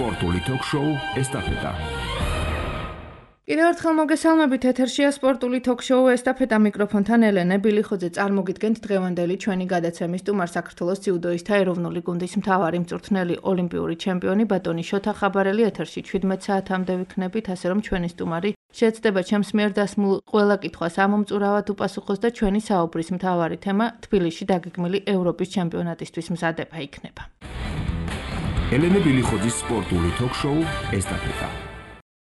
სპორტული ток-შოუ ესტაფეტა. კიდევ ერთხელ მოგესალმებით, ეთერშია სპორტული ток-შოუ ესტაფეტა, მიკროფონთან ელენე ბილიხოძე. წარმოგიდგენთ დღევანდელი ჩვენი გადაცემის სტუმარ, საქართველოს ძიუდოისტთა ეროვნული გუნდის მთავარი მწვრთნელი, ოლიმპიური ჩემპიონი ბატონი შოთა ხაბარელი. ეთერში 17 საათამდე ვიქნებით, ასე რომ ჩვენი სტუმარი შეეცდება ჩემს მიერ დასმულ ყველა კითხვას ამომწურავად უპასუხოს და ჩვენი საუბრის მთავარი თემა თბილისში დაგეგმილი ევროპის ჩემპიონატისთვის მზადება იქნება. ელენე ბილიხოძის სპორტული ток-შოუ ესტაფეტა.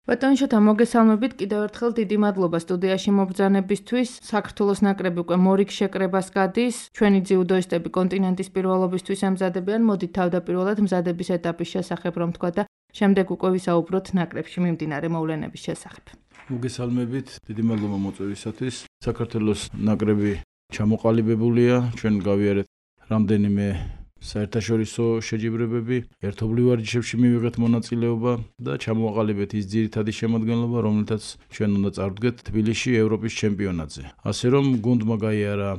ბატონი შოთა, მოგესალმებით კიდევ ერთხელ, დიდი მადლობა სტუდიაში მობრძანებისთვის. საქართველოს ნაკრები უკვე მორიგ შეკრებას გადის. ჩვენი ძიუდოისტები კონტინენტის პირველობისთვის ემზადებიან. მოდით თავდაპირველად მზადების ეტაპის შესახებ რომ თქვა და შემდეგ უკვე ვისაუბროთ ნაკრებში მიმდინარე მოვლენების შესახებ. მოგესალმებით, დიდი მადლობა მოწვევისათვის. საქართველოს ნაკრები ჩამოყალიბებულია, ჩვენ გავიარეთ რამდენიმე საერთაშორისო შეჯიბრებები, ერთობლივ ვარჯიშებში მივიღეთ მონაწილეობა და ჩამოაყალიბეთ ის ძირითადი შემადგენლობა, რომელთაც ჩვენ უნდა წარვდგეთ თბილისში ევროპის ჩემპიონატზე. ასე რომ გუნდმა გაიარა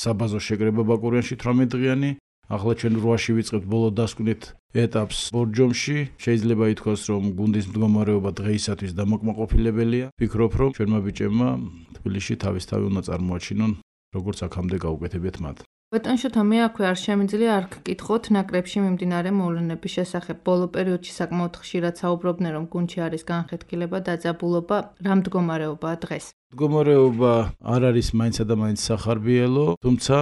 საბაზო შეკრება ბაკურიანში 18 დღიანი. ახლა ჩვენ 8-ში ვიწყებთ ბოლო დასკვნით ეტაპს ბორჯომში. შეიძლება ითქვას, რომ გუნდის მდგომარეობა დღეისათვის დამაკმაყოფილებელია. ვფიქრობ, რომ ჩვენმა ბიჭებმა თბილისში თავისთავად უნდა წარმოაჩინონ, როგორც აქამდე გაუკეთებიათ მათ. ბატონ შოთა, მე აქვე არ შემიძლია არ გკითხოთ ნაკრებში მიმდინარე მოვლენების შესახებ. ბოლო პერიოდში საკმაოდ ხშირად საუბრობდნენ, რომ გუნდში არის განხეთქილება, დაძაბულობა. რა მდგომარეობაა დღეს? მდგომარეობა არ არის მაინცა და მაინც სახარბიელო, თუმცა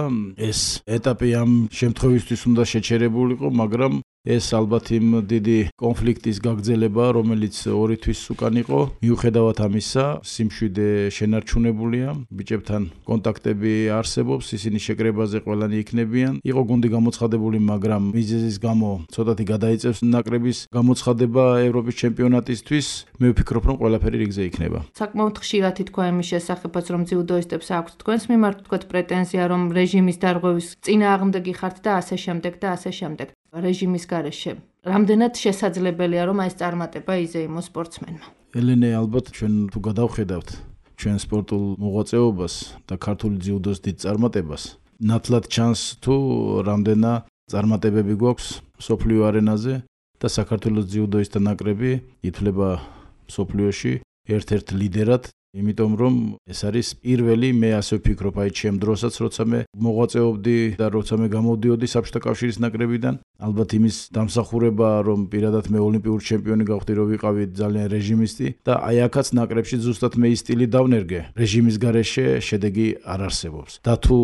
ეს ეტაპი ამ შემთხვევისთვის უნდა შეჩერებულიყო, მაგრამ ეს ალბათ იმ დიდი კონფლიქტის გაგრძელება, რომელიც 2 თვის უკან იყო. მიუხედავად ამისა, სიმშვიდე შენარჩუნებულია, ბიჭებთან კონტაქტები არსებობს, ისინი შეკრებაზე ყველანი იქნებიან. იყო გუნდი გამოცხადებული, მაგრამ მიზეზის გამო ცოტათი გადაიწევს ნაკრების გამოცხადება ევროპის ჩემპიონატისთვის. მე ვფიქრობ, რომ ყველაფერი რიგზე იქნება. საკმაოდ ხშირად ითქვა იმის შესახებაც, რომ ძიუდოისტებს აქვთ თქვენს მიმართ თქვათ პრეტენზია, რომ რეჟიმის დარღვევის წინააღმდეგი ხართ და ასე შემდეგ და ასე შემდეგ. რეჟიმის გარეშე რამდენად შესაძლებელია, რომ ეს წარმატება იზეიმოს სპორტსმენმა? ელენე, ალბათ ჩვენ თუ გადავხედავთ ჩვენ სპორტულ მოღვაწეობას და ქართული ძიუდოს დიდ წარმატებას, ნათლად ჩანს თუ რამდენა წარმატებები გვაქვს მსოფლიო არენაზე და საქართველოს ძიუდოისტთა ნაკრები ითვლება მსოფლიოში ერთ-ერთ ლიდერად. იმიტომ რომ ეს არის პირველი, მე ასე ვფიქრობ, აი ჩემ დროსაც, როცა მე მოღვაწეობდი და როცა მე გამოვდიოდი საბჭოთა კავშირის ნაკრებიდან, ალბათ იმის დამსახურება, რომ პირადად მე ოლიმპიური ჩემპიონი გავხდი, რომ ვიყავი ძალიან რეჟიმისტი და აი აქაც ნაკრებში ზუსტად მე ის სტილი დავნერგე. რეჟიმის გარეშე შედეგი არ არსებობს. და თუ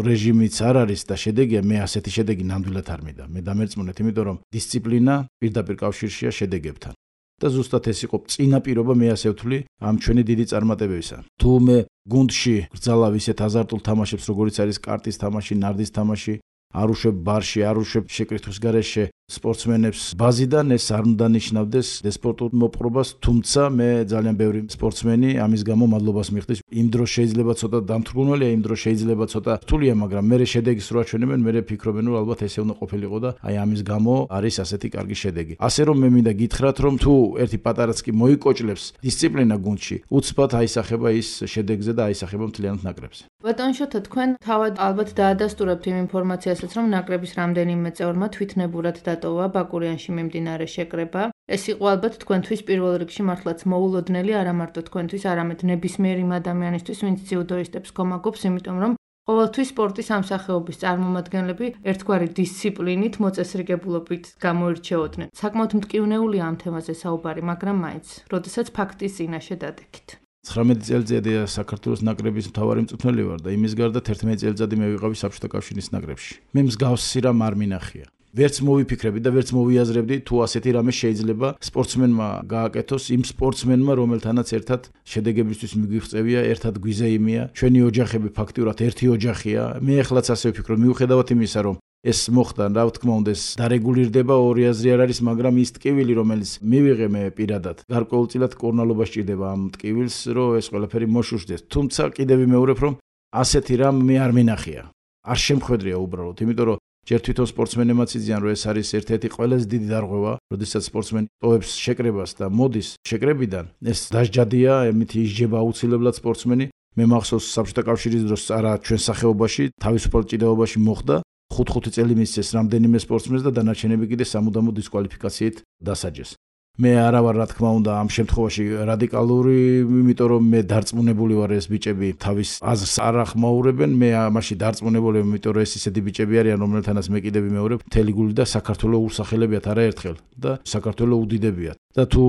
რეჟიმიც არ არის და შედეგია, მე ასეთი შედეგი ნამდვილად არ მინდა. მე დამერწმუნეთ, იმიტომ რომ დისციპლინა პირდაპირ კავშირშია შედეგებთან. და ზუსტად ეს იყო წინა პირობა, მე ასე ვთვლი, ამ ჩვენი დიდი წარმატებებისა. თუ მე გუნდში გრძალავ ისეთ აზარტულ თამაშებს, როგორიც არის კარტის თამაში, ნარდის თამაში, არ უშვებ ბარში, არ უშვებ შეკრითხვის გარეშე სპორტსმენებს ბაზიდან, ეს არ უნდა ნიშნავდეს სპორტულ მოპყრობას, თუმცა მე ძალიან ბევრი სპორტსმენი ამის გამო მადლობას მიხდის. იმ დროს შეიძლება ცოტა დამთრგუნველია, იმ დროს შეიძლება ცოტა რთულია, მაგრამ მე შედეგის რო აჩვენებენ, მე ვფიქრობენ, რომ ალბათ ესე უნდა ყოფილიყო და აი ამის გამო არის ასეთი კარგი შედეგი. ასე რომ მე მინდა გითხრათ, რომ თუ ერთი პატარაც კი მოიკოჭლებს დისციპლინა გუნდში, უცბად აისახება ის შედეგზე და აისახება მთლიანად ნაკრებზე. ბატონ შოთა, თქვენ თავად ალბათ დაადასტურებთ იმ ინფორმაციასაც, რომ ნაკრების რამდენიმე წევრმა თვითნებურად დატოვა ბაკურიანში მიმდინარე შეკრება. ეს იყო ალბათ თქვენთვის პირველ რიგში მართლაც მოულოდნელი, არა მარტო თქვენთვის, არამედ ნებისმიერ იმ ადამიანისთვის, ვინც ძიუდოისტებს გომაგობს, იმიტომ რომ ყოველთვის სპორტის ამ სახეობის წარმომადგენლები ერთგვარი დისციპლინით, მოწესრიგებულობით გამოირჩეოდნენ. საკმაოდ მტკივნეულია ამ თემაზე საუბარი, მაგრამ მაინც, როდესაც ფაქტის წინაშე დადექით. 19 წელიწადი საქართველოს ნაკრების მთავარი მწვრთნელი ვარ და იმის გარდა 11 წელიწადი მე ვიყავი საბჭოთა კავშირის ნაკრებში. მე მსგავსი რამ არ მინახია. ვერც მოვიფიქრები და ვერც მოვიაზრებდი თუ ასეთი რამე შეიძლება სპორტსმენმა გააკეთოს იმ სპორტსმენმა, რომელთანაც ერთად შედეგებისთვის მიგვიღწევია, ერთად გვიზეიმია. ჩვენი ოჯახები ფაქტიურად ერთი ოჯახია. მე ახლაც ასე ვფიქრობ, მიუხედავად იმისა, რომ ეს მოხდა, რა თქმა უნდა, ეს დარეგულირდება, ორი აზრი არ არის, მაგრამ ის ტკივილი, რომელიც მივიღე მე პირადად, გარკვეულწილად კორნალობა სჭირდება ამ ტკივილს, რომ ეს ყველაფერი მოშუშდეს. თუმცა კიდევ ვიმეორებ, რომ ასეთი რამ მე არ მინახია. არ შემხვედრია უბრალოდ, იმიტომ რომ ჯერ თვითონ სპორტსმენებმაც იციან, რომ ეს არის ერთ-ერთი ყველაზე დიდი დარღვევა, როდესაც სპორტსმენი ტოვებს შეკრებას და მოდის შეკრებიდან, ეს დასჯადია, ემითი ისჯება აუცილებლად სპორტსმენი. მე მახსოვს საბჭოთა კავშირის დროს არა ჩვენ სახეობაში, თავისუფალ ჭიდაობაში მოხდა 5 წელი მისცეს რამდენიმე სპორტსმენს და დანარჩენები კიდე სამუდამო დისკვალიფიკაციით დასაჯეს. მე არა ვარ რა თქმა უნდა ამ შემთხვევაში რადიკალური, იმიტომ რომ მე დარწმუნებული ვარ ეს ბიჭები თავის აზრს არ ახმაურებენ, მე ამაში დარწმუნებული ვარ, იმიტომ რომ ეს ისეთი ბიჭები არიან, რომელთანაც მე კიდევ ვიმეორებ, მთელი გული და საქართველოს ურსახელებიათ არაერთხელ და საქართველოს უდიდებიათ. და თუ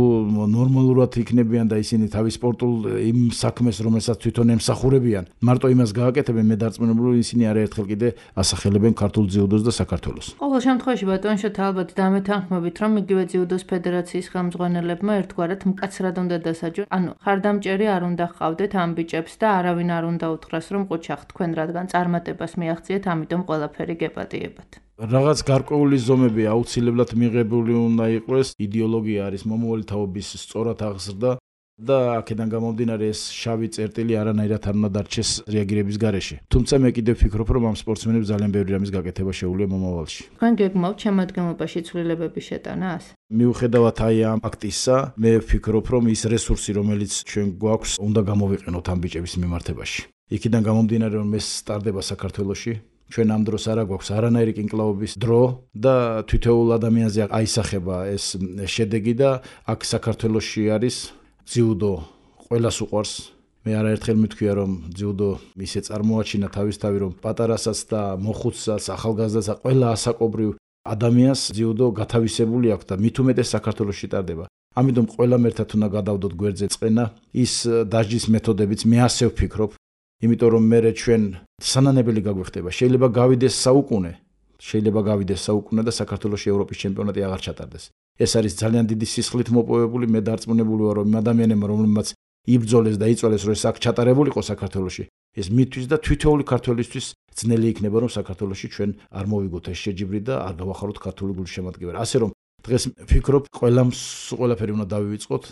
ნორმალურად იქნებიან და ისინი თავის სპორტულ იმ საქმეს, რომელსაც თვითონ ემსახურებიან, მარტო იმას გააკეთებენ, მე დარწმუნებული ისინი არაერთხელ კიდე ასახელებენ ქართულ ძიუდოს და საქართველოს. ყოველ შემთხვევაში ბატონშოთ ალბათ დამეთანხმებით, რომ იგივე ძიუდოს ფედერაციის ხელმძღვანელებმა ერთგვარად მკაცრად უნდა დასაჯონ. ანუ ხარდამჭერი არ უნდა ჰყავდეთ ამ ბიჭებს და არავინ არ უნდა უთხრას, რომ ყუჩახ თქვენ რადგან წარმატებას მიაღწიეთ, ამიტომ ყველაფერი გეპატიებათ. რაღაც გარკვეული ზომები აუცილებლად მიღებული უნდა იყოს, იდეოლოგია არის მომავალი თაობის სწორად აღზრდა და აქედან გამომდინარე ეს შავი წერტილი არანაირად არ უნდა დარჩეს რეაგირების გარეშე. თუმცა მე კიდევ ვფიქრობ, რომ ამ სპორტსმენებს ძალიან ბევრი რამის გაკეთება შეუძლია მომავალში. თქვენ გეგმავთ შემადგენლობაში ცვლილებების შეტანას? მიუხედავად აი ამ ფაქტისა, მე ვფიქრობ, რომ ის რესურსი, რომელიც ჩვენ გვაქვს, უნდა გამოვიყენოთ ამ ბიჭების მიმართებაში. იქიდან გამომდინარე, რომ ეს სტარდება საქართველოში, ჩვენ ამ დროს არა გვაქვს არანაირი კინკლაობის დრო და თითოეულ ადამიანზე აისახება ეს შედეგი და აქ საქართველოში არის ძიუდო ყველას უყვარს. მე არაერთხელ მithქვია, რომ ძიუდო ისე წარმოაჩინა თავისთავი, რომ პატარასაც და მოხუცსაც, ახალგაზრდასაც, ყველა ასაკობრივ ადამიანს ძიუდო გათავისებული აქვს და მით უმეტეს საქართველოში ტარდება. ამიტომ ყველამ ერთად უნდა გადავდოთ გვერდზე წყენა, ის დასჯის მეთოდებიც მე ასე ვფიქრობ. იმიტომ რომ მე ჩვენ სანანებელი გაგვეხდება. შეიძლება გავიდეს საუკუნე და საქართველოში ევროპის ჩემპიონატი აღარ ჩატარდეს. ეს არის ძალიან დიდი სისხლით მოპოვებული, მე დარწმუნებული ვარ, რომ იმ ადამიანებმა, რომლებმაც იბრძოლეს და იწოლეს, რომ ეს აქ ჩატარებულიყო საქართველოში, ეს მისთვის და თითოეული ქართველისთვის ძნელი იქნება, რომ საქართველოში ჩვენ არ მოვიგოთ ეს შეჯიბრი და არ გავახაროთ ქართული გულის შემადგენლობა. ასე რომ დღეს ვფიქრობ, ყველაფერი უნდა დავივიწყოთ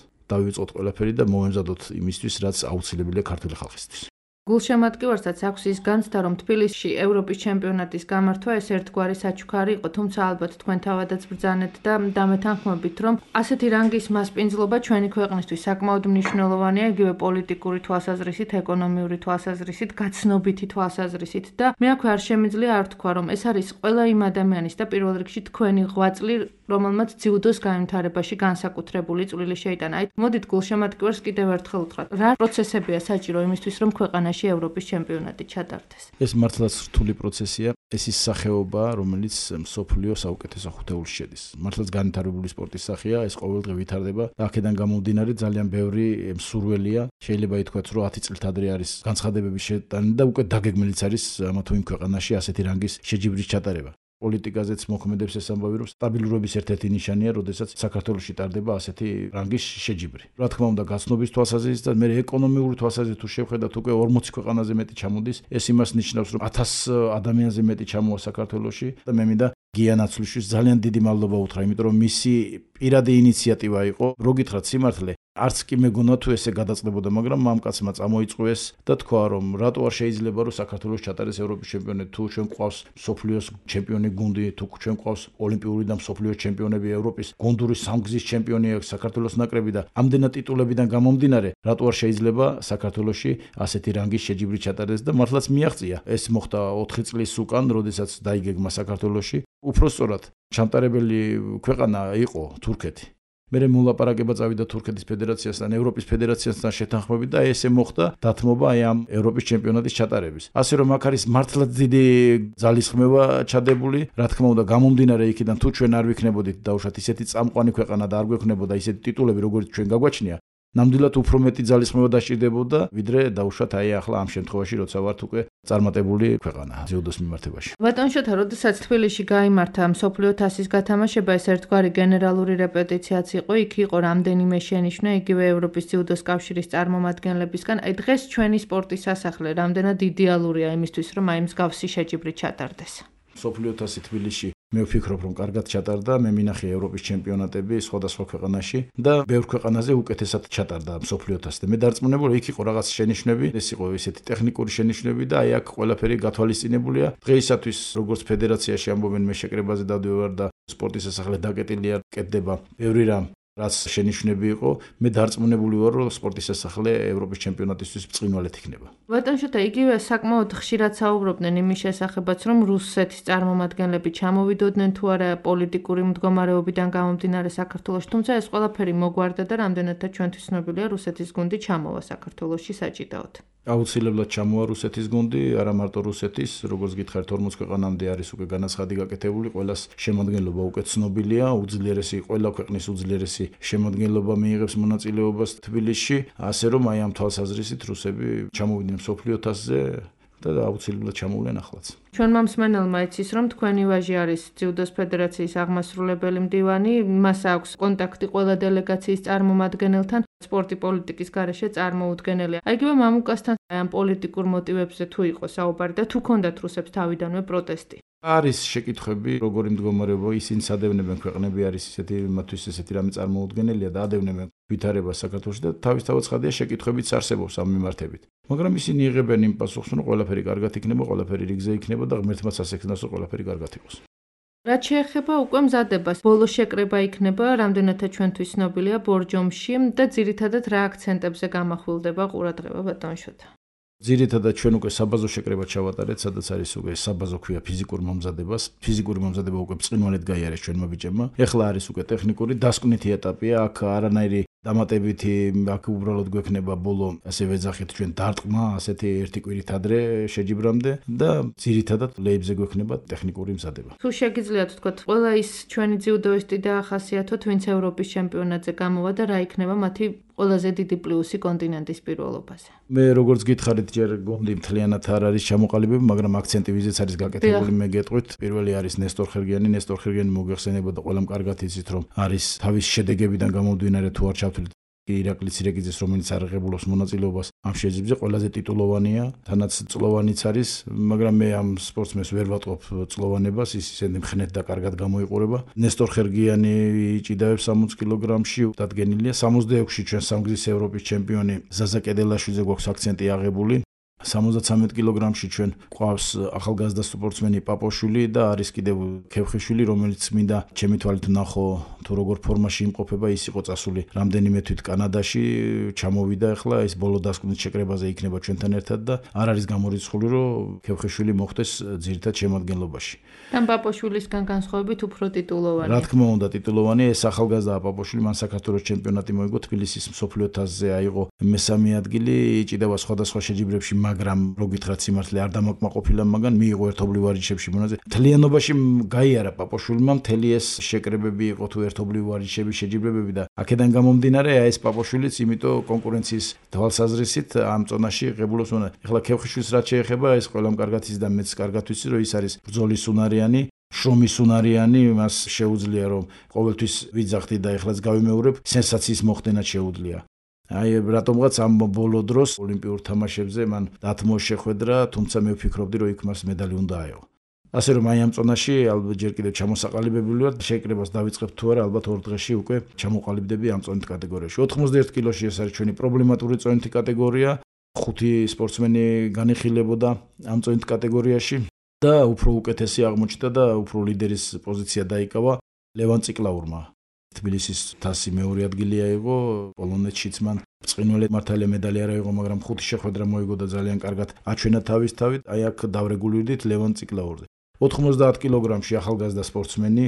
ყველაფერი და მოვემზადოთ იმისთვის, რაც აუცილებელია ქართული ხალხისთვის. გულშემატკივარსაც აქვს ის განცდა, რომ თბილისში ევროპის ჩემპიონატის გამართვა ეს ერთგვარი საჩუქარი იყო, თუმცა ალბათ თქვენ თავადაც ბრძანეთ და დამეთანხმებით, რომ ასეთი რანგის მასპინძლობა ჩვენი ქვეყნისთვის საკმაოდ მნიშვნელოვანია, იგივე პოლიტიკური თვალსაზრისით, ეკონომიური თვალსაზრისით, გაცნობითი თვალსაზრისით და მე აქვე არ შემიძლია არ თქვა, რომ ეს არის ყველა იმ ადამიანის და პირველ რიგში თქვენი ღვაწლი, რომელმაც ძიუდოს განვითარებაში განსაკუთრებული წვლილი შეიტანა. აი, მოდით გულშემატკივარს კიდევ ერთხელ უთხრათ, რა პროცესებია საჭირო იმისთვის, რომ ქვეყანაში ევროპის ჩემპიონატი ჩატარდეს? ეს მართლაც რთული პროცესია. ეს ის სახეობა, რომელიც მსოფლიოს საუკეთესო ხუთეულში შედის. მართლაც განვითარებული სპორტის სახეა, ეს ყოველდღე ვითარდება და აქედან გამომდინარე ძალიან ბევრი მსურველია. შეიძლება ითქვას, რომ 10 წლით ადრე არის განცხადებების შეტანა და უკვე დაგეგმილიც არის ამა თუ იმ ქვეყანაში ასეთი რანგის შეჯიბრის ჩატარება. პოლიტიკაზეც მოქმედებს ეს ამბავი, რომ სტაბილურობის ერთ-ერთი ნიშანია, როდესაც საქართველოში ტარდება ასეთი რანგის შეჯიბრი. რა თქმა უნდა, გაცნობის თვალსაზრისით და მე ეკონომიური თვალსაზრისით თუ შევხედათ, უკვე 40 ქვეყანაზე მეტი ჩამოდის. ეს იმას ნიშნავს, რომ 1000 ადამიანზე მეტი ჩამოვა საქართველოში და მე მინდა გია ნაცვლიშვილს ძალიან დიდი მადლობა უთხრა, იმიტომ რომ მისი პირადი ინიციატივა იყო. რო გითხრათ სიმართლე, არც კი მეგონა თუ ესე გადაწყდებოდა, მაგრამ მამკაცმა წამოიწყო ეს და თქვა, რომ რატო არ შეიძლება რომ საქართველოს ჩატარდეს ევროპის ჩემპიონატი, თუ ჩვენ გვყავს მსოფლიოს ჩემპიონი გუნდი, თუ ჩვენ გვყავს ოლიმპიური და მსოფლიოს ჩემპიონები, ევროპის გუნდური სამგზის ჩემპიონი აქვს საქართველოს ნაკრები და ამდენად ტიტულებიდან გამომდინარე, რატო არ შეიძლება საქართველოში ასეთი რანგის შეჯიბრი ჩატარდეს და მართლაც მიაღწია. ეს მოხდა 4 წლის უკან, როდესაც დაიგეგმა საქართველოში. უпростоრად ჩამტარებელი ქვეყანა იყო თურქეთი. მერე მოლაპარაკება წავიდა თურქეთის ფედერაციასთან, ევროპის ფედერაციასთან შეთანხმებით და ესე მოხდა დათმობა აი ამ ევროპის ჩემპიონატის ჩატარების. ასე რომ აქ არის მართლაც დიდი ძალისხმევა ჩადებული, რა თქმა უნდა, გამომდინარე იქიდან თუ ჩვენ არ ვიქნებოდით დაუშვათ ისეთი წამყვანი ქვეყანა და არ გვექნებოდა ისეთი ტიტულები, როგორც ჩვენ გაგვაჩნია, ნამდვილად უფრო მეტი ძალისხმევა დასჭირდებოდა, ვიდრე დაუშვათ აი ახლა ამ შემთხვევაში, როცა ვართ უკვე წარმატებული ქვეყანა ძიუდოს მიმართებაში. ბატონშოთა, როდესაც თბილისში გაიმართა მსოფლიო თასის გათამაშება, ეს ერთგვარი გენერალური რეპეტიციაც იყო, იქ იყო რამდენიმე შენიშვნა, იგივე ევროპის ძიუდოს კავშირის წარმომადგენლებისგან. აი დღეს ჩვენი სპორტის სასახლე რამდენად იდეალურია იმისთვის, რომ აი მსგავსი შეჯიბრი ჩატარდეს? მსოფლიო თასი თბილისში მე ვფიქრობ, რომ კარგად ჩატარდა, მე მინახე ევროპის ჩემპიონატები სხვადასხვა ქვეყანაში და ბევრ ქვეყანაზე უკეთესად ჩატარდა მსოფლიო თასი. მე დარწმუნებული, იქ იყო რაღაც შენიშვნები, ეს იყო ისეთი ტექნიკური შენიშვნები და აი აქ ყველაფერი გათვალისწინებულია. დღეისათვის როგორც ფედერაციაში ამბობენ, მე შეკრებაზე დავდივარ და სპორტის სასახლე დაკეტილია, კეთდება ბევრი რამ. რაც შენიშვნები იყო, მე დარწმუნებული ვარ, რომ სპორტის სასახლე ევროპის ჩემპიონატისთვის ბრწყინვალედ იქნება. ბატონშოთა, იგივე საკმაოდ ხშირად საუბრობდნენ იმის შესახებაც, რომ რუსეთის წარმომადგენლები ჩამოვიდოდნენ თუ არა პოლიტიკური მდგომარეობიდან გამომდინარე საქართველოში, თუმცა ეს ყველაფერი მოგვარდა და რამდენადაც ჩვენთვის ცნობილია, რუსეთის გუნდი ჩამოვა საქართველოში საჭიდაოდ. აუცილებლად ჩამოვა რუსეთის გუნდი, არა მარტო რუსეთის, როგორც გითხარით 40 ქვეყანამდე არის უკვე განაცხადი გაკეთებული, ყველას შემადგენლობა უკვე ცნობილია, ყველა ქვეყნის უძლიერესი შემადგენლობა მიიღებს მონაწილეობას თბილისში, ასე რომ აი ამ თვალსაზრისით რუსები ჩამოვიდნენ მსოფლიო თასზე და აუცილებლად ჩამოვლენ ახლაც. ჩვენმა მსმენელმა იცის, რომ თქვენი ვაჟი არის ძიუდოს ფედერაციის აღმასრულებელი მდივანი, მას აქვს კონტაქტი ყველა დელეგაციის წარმომადგენელთან, სპორტი პოლიტიკის გარეშე წარმოუდგენელია. აიგივე მამუკასთან ამ პოლიტიკურ მოტივებზე თუ იყო საუბარი და თუ ქონდათ რუსებს თავიდანვე პროტესტი. არის შეკითხვები, როგორი მდგომარეობა ისინი სადევნებენ ქვეყნები არის მათთვის ესეთი რამე წარმოუდგენელია და ადევნებენ ვითარებას საქართველოში და თავისთავად ცხადია შეკითხვებიც არსებობს ამ მიმართებით. მაგრამ ისინი იღებენ იმ პასუხს, რომ ყველაფერი კარგად იქნება, ყველაფერი რიგზე იქნება და ღმერთმა სასექნას, რომ ყველაფერი კარგად იყოს. რაც შეეხება უკვე მზადებას, ბოლო შეკრება იქნება, რამდენადაც ჩვენთვის ცნობილია ბორჯომში და ძირითადად რა აქცენტებზე გამახვილდება ყურადღება ბატონშოთა. ძირითადად ჩვენ უკვე საბაზო შეკრება ჩავატარეთ, სადაც არის უკვე საბაზო ქვია ფიზიკურ მომზადებას. ფიზიკური მომზადება უკვე ბრწყინვალედ გაიარეს ჩვენმა ბიჭებმა. ეხლა არის უკვე ტექნიკური დასკვნითი ეტაპია, აქ არანაირი დამატებითი აქ უბრალოდ გვექნება ბოლო ასე ვეძახით ჩვენ დარტყმა, ასეთი ერთი კვირით ადრე შეჯიბრამდე და ძირითადად ლეიბზე გვექნება ტექნიკური მზადება. თუ შეგიძლიათ ვთქვათ, ყველა ის ჩვენი ძიუდოისტი დაახასიათოთ, ვინც ევროპის ჩემპიონატზე გამოვა და რა იქნება მათი ყველაზე დიდი პლუსი კონტინენტის პირველობაზე. მე როგორც გითხარით, ჯერ გუნდი მთლიანად არ არის ჩამოყალიბებული, მაგრამ აქცენტი ვიზეც არის გაკეთებული, მე გეტყვით. პირველი არის ნესტორ ხერგიანი, ნესტორ ხერგიანი მოგეხსენებოდა ყველამ კარგად იცით, რომ არის თავის შედეგებიდან გამომდინარე თუ არ ჩავთვლით ირაკლი ცირეკიძეს, რომელიც არაღებულობს მონაწილეობას ამ შეჯიბრზე, ყველაზე ტიტულოვანია, თანაც წლოვანიც არის, მაგრამ მე ამ სპორტსმენს ვერ ვატყობ წლოვანებას, ის ისინი მხნეთ და კარგად გამოიყურება. ნესტორ ხერგიანი იჭიდავებს 60 კილოგრამში, დადგენილია 66-ში ჩვენ სამგზის ევროპის ჩემპიონი ზაზა კედელაშვილზე გვაქვს აქცენტი აღებული. 73 კილოგრამში ჩვენ ყავს ახალგაზრდა სპორტსმენი პაპოშვილი და არის კიდევ ქევხიშვილი, რომელიც მინდა ჩემი თვალით ნახო თუ როგორ ფორმაში იმყოფება, ის იყო წასული რამდენიმე თვით კანადაში, ჩამოვიდა ახლა ეს ბოლო დასკვნით შეკრებაზე იქნება ჩვენთან ერთად და არ არის გამორიცხული, რომ ქევხიშვილი მოხვდეს ძირითად შემადგენლობაში. თან პაპოშვილისგან განსხვავებით უფრო ტიტულოვანი. რა თქმა უნდა, ტიტულოვანი, ეს ახალგაზრდა პაპოშვილი, მან საქართველოს ჩემპიონატი მოიგო, თბილისის მსოფლიო თასზე აიღო მესამე ადგილი, იჭიდავა სხვადასხვა შეჯიბრებში, მაგრამ რო გითხრათ სიმართლე არ დამაკმაყოფილა მაგან, მიიღო ერთობლივ ვარჯიშებში მონაწილე. მთლიანობაში გაიარა პაპოშვილმა, მთელი ეს შეკრებები იყო თუ ერთობლივ ვარჯიშების შეჯიბრებები და აქედან გამომდინარე, ეს პაპოშვილიც, იმიტომ კონკურენციის თვალსაზრისით ამ წონაში ღებულობს. ეხლა ქევხიშვილს რაც შეეხება, ეს ყველამ კარგად იცის და მეც კარგად ვიცი, რომ ის არის ბრძოლის უნარიანი, შრომის უნარიანი, მას შეუძლია რომ ყოველთვის ვიძახდი და ეხლაც გავიმეორებ, სენსაციის მოხდენაც შეუძლია. აი რატომღაც ამ ბოლო დროს ოლიმპიურ თამაშებზე მან დათმო შეხვედრა, თუმცა მე ვფიქრობდი, რომ იქ მას медаლი უნდა აეღო. ასე რომ აი ამ წონაში ალბათ ჯერ კიდევ ჩამოსაყალიბებული ვარ, შეკრებას დავიწყებ თუ არა, ალბათ 2 დღეში უკვე ჩამოყალიბდები ამ წონით კატეგორიაში. 91 კილოში ეს არის ჩვენი პრობლემატური წონითი კატეგორია. 5 სპორტსმენი განიხილებოდა ამ წონით კატეგორიაში და უფრო უკეთესი აღმოჩნდა და უფრო ლიდერის პოზიცია დაიკავა ლევან ციკლაურმა. თბილისის თასი მეორე ადგილი აიღო, პოლონეთშიც მან ბრწყინვალედ მართალია медаლი არ აიღო, მაგრამ 5 შეხვედრა მოიგო და ძალიან კარგად აჩვენა თავის თავით. აი აქ დავრეგულირდით ლევან ციკლაურზე. 90 კილოგრამში ახალგაზრდა სპორტსმენი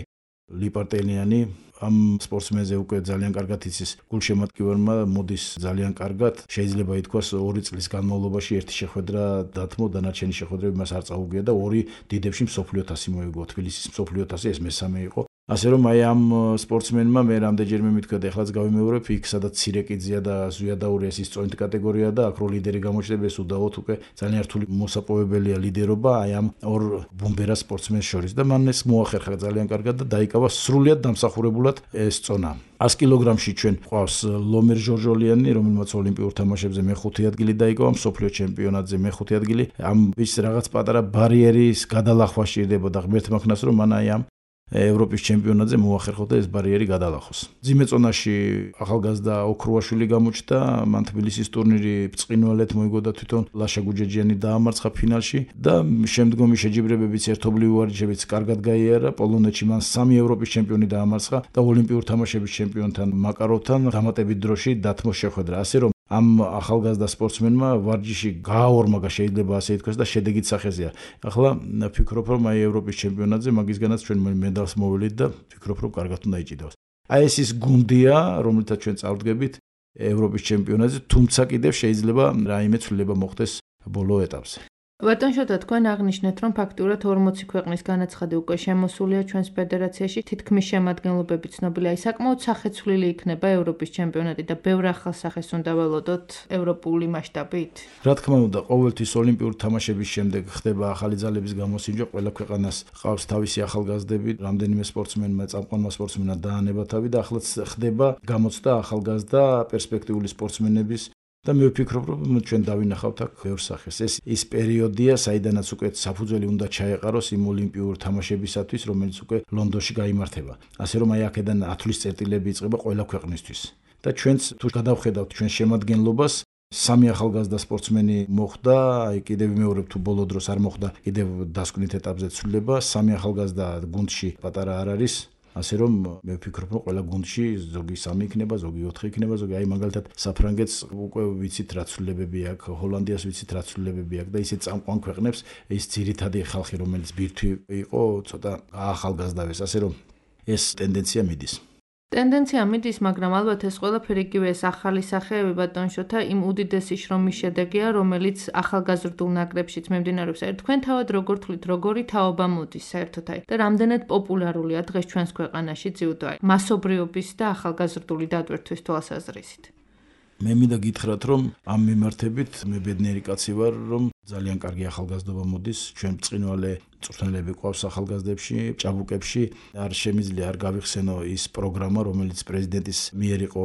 ლიპარტელიანი, ამ სპორტსმენზე უკვე ძალიან კარგად იცის გულშემატკივარმა, მოდის ძალიან კარგად. შეიძლება ითქვას 2 წლის განმავლობაში ერთი შეხვედრა დათმო, დანარჩენი შეხვედრები მას არ წაუგია და 2 დიდებში მსოფლიო თასი მოიგო. თბილისის მსოფლიო თასი ეს მესამე იყო. ასე რომ აი ამ სპორტსმენმა მე რამდენჯერმე მithქვია და ეხლაც გავიმეორებ, იქ სადაც ცირეკიძია და ზვიადაურია ის წონით კატეგორია და აქ რო ლიდერი გამოჩნდება, ეს უდაოდ უკვე ძალიან რთული მოსაპოვებელია ლიდერობა აი ამ ორ ბომბერა სპორტსმენს შორის და მან ეს მოახერხა ძალიან კარგად და დაიკავა სრულიად დამსახურებულად ეს წონა. 100 კილოგრამში ჩვენ ყავს ლომერ ჟორჟოლიანი, რომელმაც ოლიმპიურ თამაშებზე მე-5 ადგილი დაიკავა, მსოფლიო ჩემპიონატზე მე-5 ადგილი. ამ ის რაღაც პატარა ბარიერის გადალახვა სჭირდებოდა ღმერთმა ხნას, რომ მან აი ამ ევროპის ჩემპიონატზე მოახერხოთ და ეს ბარიერი გადალახოს. მძიმე წონაში ახალგაზრდა ოქრუაშვილი გამოჩნდა, მან თბილისის ტურნირი ბრწყინვალედ მოიგო და თვითონ ლაშა გუჯეჯიანი დაამარცხა ფინალში და შემდგომი შეჯიბრებებიც ერთობლივი ვარჯიშებიც კარგად გაიარა. პოლონეთში მან 3 ევროპის ჩემპიონი დაამარცხა და ოლიმპიურ თამაშების ჩემპიონთან მაკაროვთან დამატებით დროში დათმოს შეხვედრა. ასე რომ ამ ახალგაზრდა სპორტსმენმა ვარჯიში გააორმაგა, შეიძლება ასე ითქვას და შედეგით სახეზეა. ახლა ვფიქრობ, რომ აი ევროპის ჩემპიონატზე მაგისგანაც ჩვენ მედალს მოვიდით და ვფიქრობ, რომ კარგად უნდა იჭიდოს. აი ეს ის გუნდია, რომელთაც ჩვენ წავდგებით ევროპის ჩემპიონატზე, თუმცა კიდევ შეიძლება რაიმე ცვლილება მოხდეს ბოლო ეტაპზე. ბატონ შოთა, თქვენ აღნიშნეთ, რომ ფაქტურად 40 ქვეყნის განაცხადი უკვე შემოსულია ჩვენს ფედერაციაში, თითქმის შემადგენლობები ცნობილია. აი საკმაოდ სახეცვლილი იქნება ევროპის ჩემპიონატი და ბევრ ახალ სახეს უნდა ველოდოთ ევროპული მასშტაბით. რა თქმა უნდა, ყოველთვის ოლიმპიური თამაშების შემდეგ ხდება ახალი ძალების გამოსინჯვა, ყველა ქვეყანას ყავს თავისი ახალგაზრდები, რამდენიმე სპორტსმენმა, წამყვანმა სპორტსმენმა დაანება თავი და ახლაც ხდება გამოცდა ახალგაზრდა პერსპექტიული სპორტსმენების და მე ვფიქრობ, რომ ჩვენ დავინახავთ აქ ბევრ სახეს. ეს ის პერიოდია, საიდანაც უკვე საფუძველი უნდა ჩაეყაროს იმ ოლიმპიურ თამაშებისათვის, რომელიც უკვე ლონდონში გაიმართება. ასე რომ აი აქედან ათვლის წერტილები იწყება ყველა ქვეყნისთვის. და ჩვენც თუ გადავხედავთ ჩვენ შემადგენლობას, 3 ახალგაზრდა სპორტსმენი მოხდა, აი კიდევ ვიმეორებ თუ ბოლო დროს არ მოხდა, კიდევ დასკვნით ეტაპზე ცვლილება, 3 ახალგაზრდა გუნდში პატარა არ არის. ასე რომ მე ვფიქრობ, რომ ყველა გუნდში ზოგი 3 იქნება, ზოგი 4 იქნება, ზოგი აი მაგალითად საფრანგეთს უკვე ვიცით რა ცვლილებები აქვს, ჰოლანდიას ვიცით რა ცვლილებები აქვს და ისე წამყვან ქვეყნებს ის ძირითადი ხალხი, რომელიც ბირთვი იყო, ცოტა ახალგაზრდავეს, ასე რომ ეს ტენდენცია მიდის. ტენდენცია მიდის, მაგრამ ალბათ ეს ყველაფერი იგივე ეს ახალი სახეები ბატონ შოთა იმ უდიდესი შრომის შედეგია, რომელიც ახალგაზრდულ ნაკრებშიც მიმდინარეობს. თქვენ თავად როგორ თვლით, როგორი თაობა მოდის საერთოდ აი და რამდენად პოპულარულია დღეს ჩვენს ქვეყანაში ძიუდო აი მასობრიობის და ახალგაზრდული დატვირთვის თვალსაზრისით? მე მინდა გითხრათ, რომ ამ მიმართებით მე ბედნიერი კაცი ვარ, რომ ძალიან კარგი ახალგაზრდობა მოდის, ჩვენ ბრწყინვალე მწვრთნელები ყავს ახალგაზრდებში, ჭაბუკებში, არ შემიძლია არ გავიხსენო ის პროგრამა, რომელიც პრეზიდენტის მიერ იყო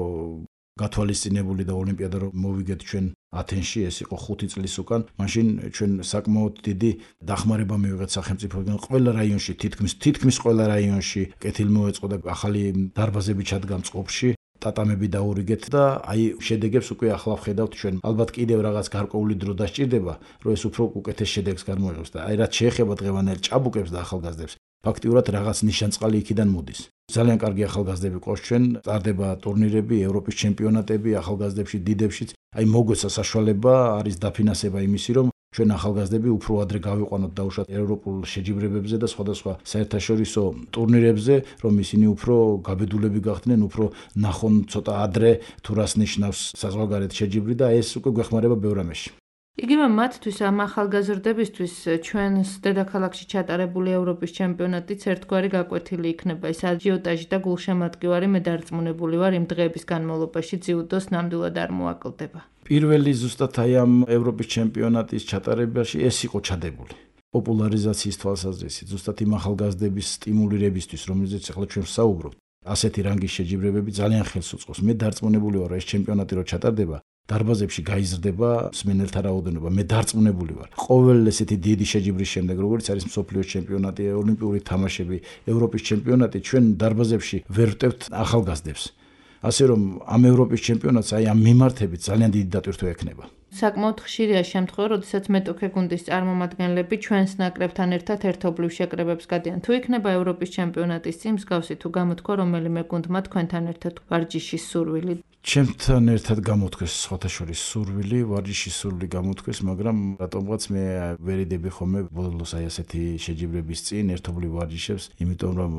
გათვალისწინებული და ოლიმპიადა რომ მოვიგეთ ჩვენ ათენში, ეს იყო 5 წლის უკან. მაშინ ჩვენ საკმაოდ დიდი დახმარება მივიღეთ სახელმწიფოდან ყველა რაიონში, თითქმის ყველა რაიონში კეთილმოეწყო და ახალი დარბაზები ჩადგა მწყობში. ტატამები დაურიგეთ და აი შედეგებს უკვე ახლა ვხედავთ ჩვენ. ალბათ კიდევ რაღაც გარკვეული დრო დასჭირდება, რომ ეს უფრო უკეთეს შედეგს გამოიღოს და აი რაც შეეხება დღევანდელ ჭაბუკებს და ახალგაზრდებს, ფაქტიურად რაღაც ნიშანწყალი იქიდან მოდის. ძალიან კარგი ახალგაზრდები ყავს ჩვენ, წარდება ტურნირები, ევროპის ჩემპიონატები, ახალგაზრდებში, დიდებშიც. აი მოგვეცა საშუალება, არის დაფინანსება იმისი, რომ ჩვენ ახალგაზრდები უფრო ადრე გავიყვანოთ დაუშვათ ევროპულ შეჯიბრებებზე და სხვადასხვა საერთაშორისო ტურნირებზე, რომ ისინი უფრო გაბედულები გახდნენ, უფრო ნახონ ცოტა ადრე თუ რას ნიშნავს საზღვარგარეთ შეჯიბრი და ეს უკვე გვეხმარება ბევრ რამეში. იგივე მათთვის ამ ახალგაზრდებისთვის ჩვენს დედაქალაქში ჩატარებული ევროპის ჩემპიონატიც ერთგვარი გაკვეთილი იქნება. ეს აჯიოტაჟი და გულშემატკივარი მე დარწმუნებული ვარ იმ დღეების განმავლობაში ძიუდოს ნამდვილად არ მოაკლდება. პირველი ზუსტად აი ამ ევროპის ჩემპიონატის ჩატარებაში ეს იყო ჩადებული. პოპულარიზაციის თვალსაზრისით, ზუსტად იმ ახალგაზრდების სტიმულირებისთვის, რომელზეც ახლა ჩვენ ვსაუბრობთ. ასეთი რანგის შეჯიბრებები ძალიან ხელს უწყობს. მე დარწმუნებული ვარ, ეს ჩემპიონატი რო ჩატარდება, დარბაზებში გაიზრდება მსმენელთა რაოდენობა. მე დარწმუნებული ვარ. ყოველ ესეთი დიდი შეჯიბრის შემდეგ, როგორც არის მსოფლიოს ჩემპიონატი, ოლიმპიური თამაშები, ევროპის ჩემპიონატი, ჩვენ დარბაზებში ვერ ვტევთ ახალგაზრდებს. ასე რომ ამ ევროპის ჩემპიონატს აი ამ მიმართებით ძალიან დიდი დატვირთვა ექნება. საკმაოდ ხშირია შემთხვევა, როდესაც მეტოქე გუნდის წარმომადგენლები ჩვენს ნაკრებთან ერთად ერთობლივ შეკრებებს გადიან. თუ იქნება ევროპის ჩემპიონატის წინ მსგავსი თუ გამოთქვა რომელიმე გუნდმა თქვენთან ერთად ვარჯიშის სურვილი? ჩემთან ერთად გამოთქვეს სხვათა შორის სურვილი, ვარჯიშის სურვილი გამოთქვეს, მაგრამ რატომღაც მე ვერ იდები ხოლმე ბოლოს აი ასეთი შეჯიბრების წინ ერთობლივ ვარჯიშებს, იმიტომ რომ